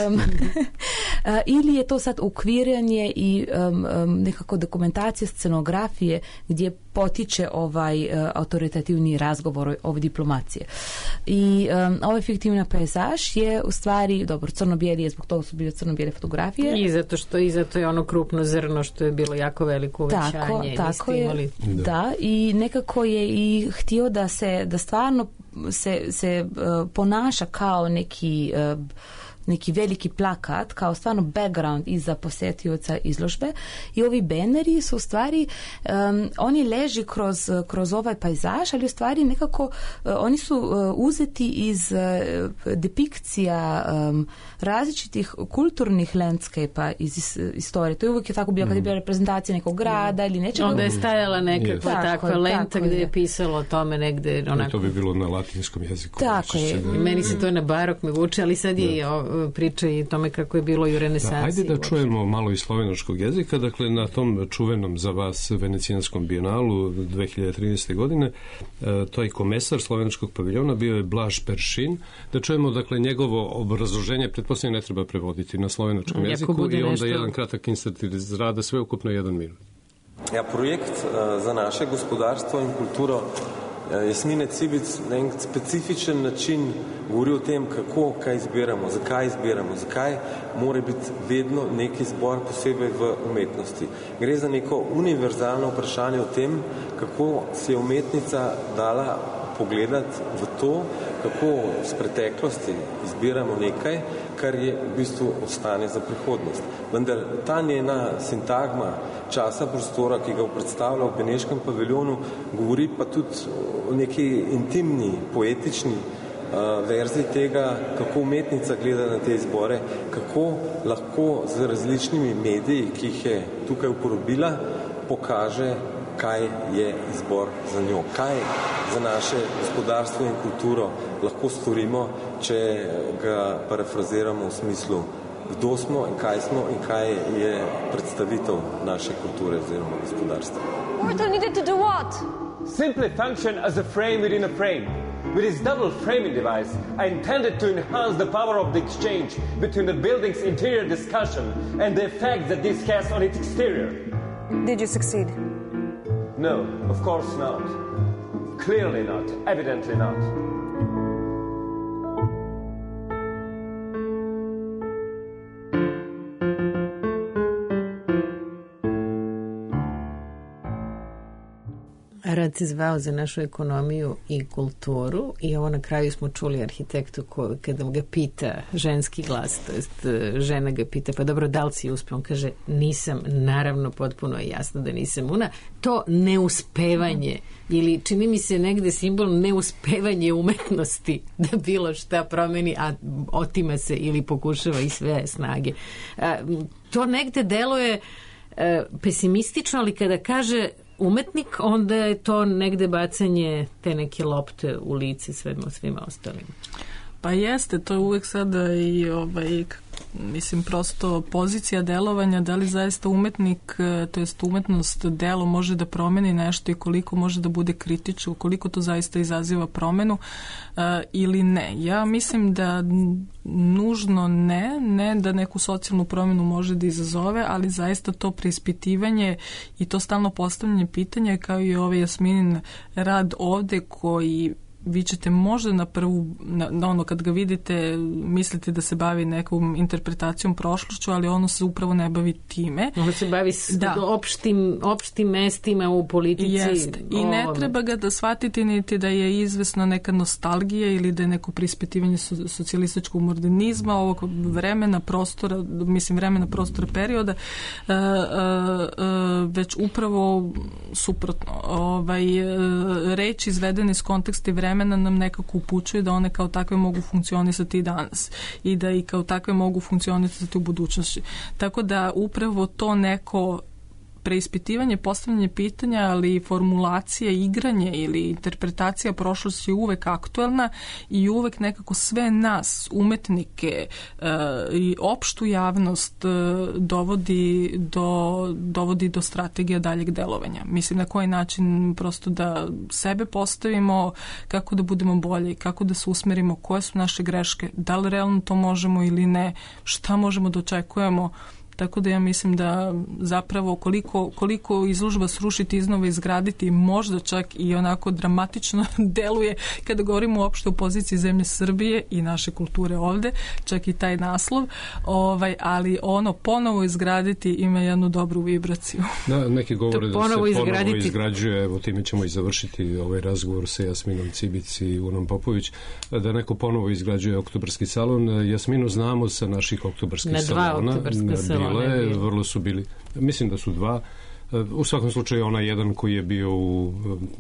um, ili je to sad ukviranje i um, um, nekako dokumentacija scenografije gdje potiče ovaj uh, autoritativni razgovor ove diplomacije. I um, ovaj fiktivna pejzaž je u stvari, dobro, crno-bijeli je, zbog toga su bile crno-bijele fotografije. I zato što i zato je ono krupno zrno što je bilo jako veliko uvećanje. Tako, tako je, imali... da. da, i nekako je i htio da se, da stvarno se, se uh, ponaša kao neki uh, neki veliki plakat, kao stvarno background iza posjetioca izložbe i ovi beneri su u stvari um, oni leži kroz, kroz ovaj pejzaž, ali u stvari nekako uh, oni su uh, uzeti iz uh, depikcija um, različitih kulturnih landscape-a iz, iz istorije. To je uvijek je tako bilo kad je bila reprezentacija nekog grada ili nečega. Onda je stajala nekakva yes. takva tako, lenta tako gdje je pisalo o tome negdje. Onako... To bi bilo na latinskom jeziku. Tako je. Da... Meni se to na barok me vuče, ali sad je da. Priča i tome kako je bilo i u renesansi. Da, ajde da čujemo malo iz slovenačkog jezika. Dakle, na tom čuvenom za vas Venecijanskom bijenalu dve hiljade trinaeste. godine taj komesar slovenačkog paviljona bio je Blaž Peršin. Da čujemo, dakle, njegovo obrazloženje, pretpostavljeno ne treba prevoditi na slovenačkom Jako jeziku i onda nešto... jedan kratak insert iz rada, sve ukupno jedan minut. Ja, projekt uh, za naše gospodarstvo in kulturo uh, Jasmine Cibic na en specifičen način govori o tem, kako kaj izbiramo, zakaj izbiramo, zakaj mora biti vedno neki izbor posebej v umetnosti. Gre za neko univerzalno vprašanje o tem, kako se je umetnica dala pogledati v to, kako z preteklosti izbiramo nekaj, kar je v bistvu ostane za prihodnost. Vendar ta njena sintagma časa prostora, ki ga predstavlja v Beneškem paviljonu, govori pa tudi o neki intimni, poetični uh, verziji tega, kako umetnica gleda na te izbore, kako lahko z različnimi mediji, ki jih je tukaj uporabila, pokaže, kaj je izbor za njo, kaj za naše gospodarstvo in kulturo lahko storimo, če ga parafraziramo v smislu, kdo smo in kaj smo in kaj je predstavitev naše kulture oziroma gospodarstva. Portal needed to do what? Simply function as a frame within a frame. With this double framing device, I intended to enhance the power of the exchange between the building's interior discussion and the effect that this has on its exterior. Did you succeed? No, of course not. Clearly not. Evidently not. Rad se zvao za našu ekonomiju i kulturu i ovo na kraju smo čuli arhitektu ko, kada ga pita ženski glas, to jest žena ga pita, pa dobro, da li si uspio? On kaže, nisam, naravno, potpuno je jasno da nisam una. To neuspevanje ili čini mi se negde simbol neuspevanje umetnosti da bilo šta promeni, a otima se ili pokušava i sve snage. A, to negde deluje a, pesimistično, ali kada kaže umetnik, onda je to negde bacanje te neke lopte u lice svema, svima ostalima. Pa jeste, to je uvek sada i ovaj, mislim, prosto pozicija delovanja, da li zaista umetnik, to jest umetnost, delo može da promeni nešto i koliko može da bude kritično, koliko to zaista izaziva promenu uh, ili ne. Ja mislim da nužno ne, ne da neku socijalnu promenu može da izazove, ali zaista to preispitivanje i to stalno postavljanje pitanja, kao i ovaj Jasminin rad ovde koji vi ćete možda na prvu, na, na ono kad ga vidite, mislite da se bavi nekom interpretacijom prošlošću, ali ono se upravo ne bavi time. Ono se bavi s da. opštim, opštim mestima u politici. Jeste. I ne treba ga da shvatiti niti da je izvesna neka nostalgija ili da je neko prispitivanje so, socijalističkog modernizma, ovog vremena, prostora, mislim vremena, prostora, perioda, uh, uh, uh, već upravo suprotno. Ovaj, uh, reči izvedene iz konteksta i vremena nam nekako upućuje da one kao takve mogu funkcionisati i danas i da i kao takve mogu funkcionisati u budućnosti. Tako da upravo to neko preispitivanje, postavljanje pitanja, ali formulacija, igranje ili interpretacija prošlosti je uvek aktuelna i uvek nekako sve nas, umetnike uh, i opštu javnost uh, dovodi do, dovodi do strategija daljeg delovanja. Mislim na koji način prosto da sebe postavimo, kako da budemo bolji, kako da se usmerimo, koje su naše greške, da li realno to možemo ili ne, šta možemo da očekujemo. Tako da ja mislim da zapravo koliko, koliko izložba srušiti, iznova izgraditi, možda čak i onako dramatično deluje kada govorimo uopšte o poziciji zemlje Srbije i naše kulture ovde, čak i taj naslov, ovaj, ali ono ponovo izgraditi ima jednu dobru vibraciju. Da, neki govore da se ponovo izgraditi. izgrađuje, evo time ćemo i završiti ovaj razgovor sa Jasminom Cibic i Unom Popović, da neko ponovo izgrađuje Oktobarski salon. Jasminu znamo sa naših oktobarskih na salona. Na dva oktobarska salona. Bile, vrlo su bili, mislim da su dva. U svakom slučaju onaj jedan koji je bio u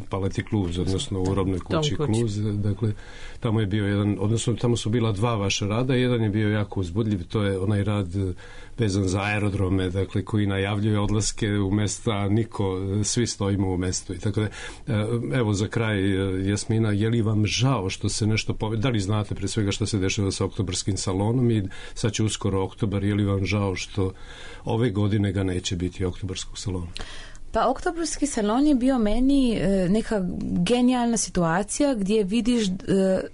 Paleti Kluz, odnosno u Robnoj kući Kluz, dakle tamo je bio jedan, odnosno tamo su bila dva vaša rada, jedan je bio jako uzbudljiv, to je onaj rad vezan za aerodrome, dakle koji najavljuje odlaske u mesta, a niko, svi stojimo u mestu i tako da. Evo za kraj, Jasmina, je li vam žao što se nešto pove... da li znate pre svega što se dešava sa Oktobarskim salonom i sad će uskoro Oktobar, je li vam žao što ove godine ga neće biti Oktobarskog salona? Pa Oktobarski salon je bio meni e, neka genijalna situacija gdje vidiš e,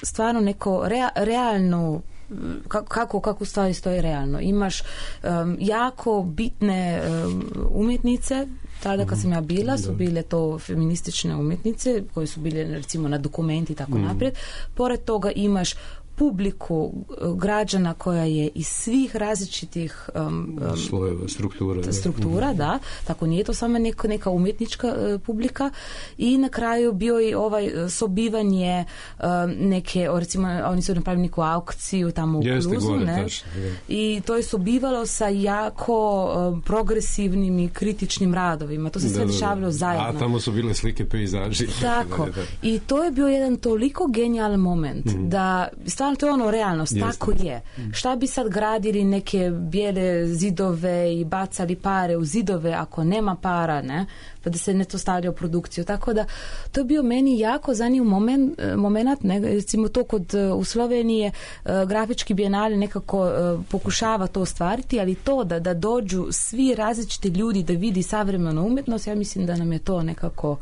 stvarno neko rea, realno kako, kako stvari stoje realno. Imaš um, jako bitne um, umjetnice, tada kad sam ja bila, su bile to feministične umjetnice koje su bile recimo na dokumenti i tako mm. naprijed. Pored toga imaš publiku građana koja je iz svih različitih um, um, slojeva, struktura. Struktura, da. da. Tako nije to samo neka, neka umjetnička uh, publika. I na kraju bio i ovaj sobivanje um, neke, recimo, oni su napravili neku aukciju tamo u Jeste, Kluzu, gore, ne? tačno, I to je sobivalo sa jako um, progresivnim i kritičnim radovima. To se sve dešavalo zajedno. A tamo su bile slike pejzaži. Tako. Da, da, da. I to je bio jedan toliko genijalan moment mm. da stvarno to je ono realnost, Jeste. Tako je. Šta bi sad gradili neke bijele zidove i bacali pare u zidove ako nema para, ne? Pa da se ne to stavlja u produkciju. Tako da to je bio meni jako zanimljiv moment, moment ne? Recimo to kod u Slovenije grafički bijenale nekako pokušava to ostvariti, ali to da, da dođu svi različiti ljudi da vidi savremenu umjetnost, ja mislim da nam je to nekako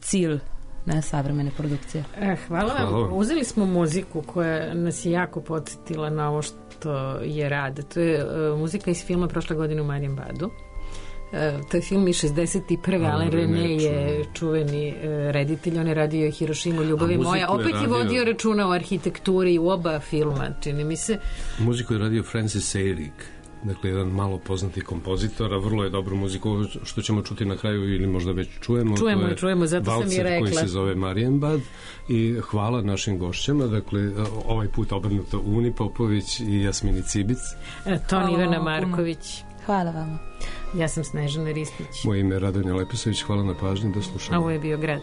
cilj na savremene produkcije. Eh, hvala vam. Hvala. Uzeli smo muziku koja nas je jako podsjetila na ovo što je rad. To je uh, muzika iz filma prošle godine u Marienbadu. Uh, to je film iz šezdeset prve. Alain René je čuveni uh, reditelj. On je radio Hirošimu, Ljubavi moja. Opet je, radio... je vodio računa o arhitekturi u oba filma, čini mi se. Muziku je radio Francis Seyrig. Dakle, jedan malo poznati kompozitor, a vrlo je dobru muziku, što ćemo čuti na kraju ili možda već čujemo. Čujemo, je čujemo, zato sam i rekla. Valcer koji se zove Marienbad i hvala našim gošćama, dakle, ovaj put obrnuto Uni Popović i Jasmini Cibic. Ton Ivana Marković. Hvala vam. Ja sam Snežana Ristić. Moje ime je Radonja Lepisović, hvala na pažnji, do slušanja. Ovo je bio Grad.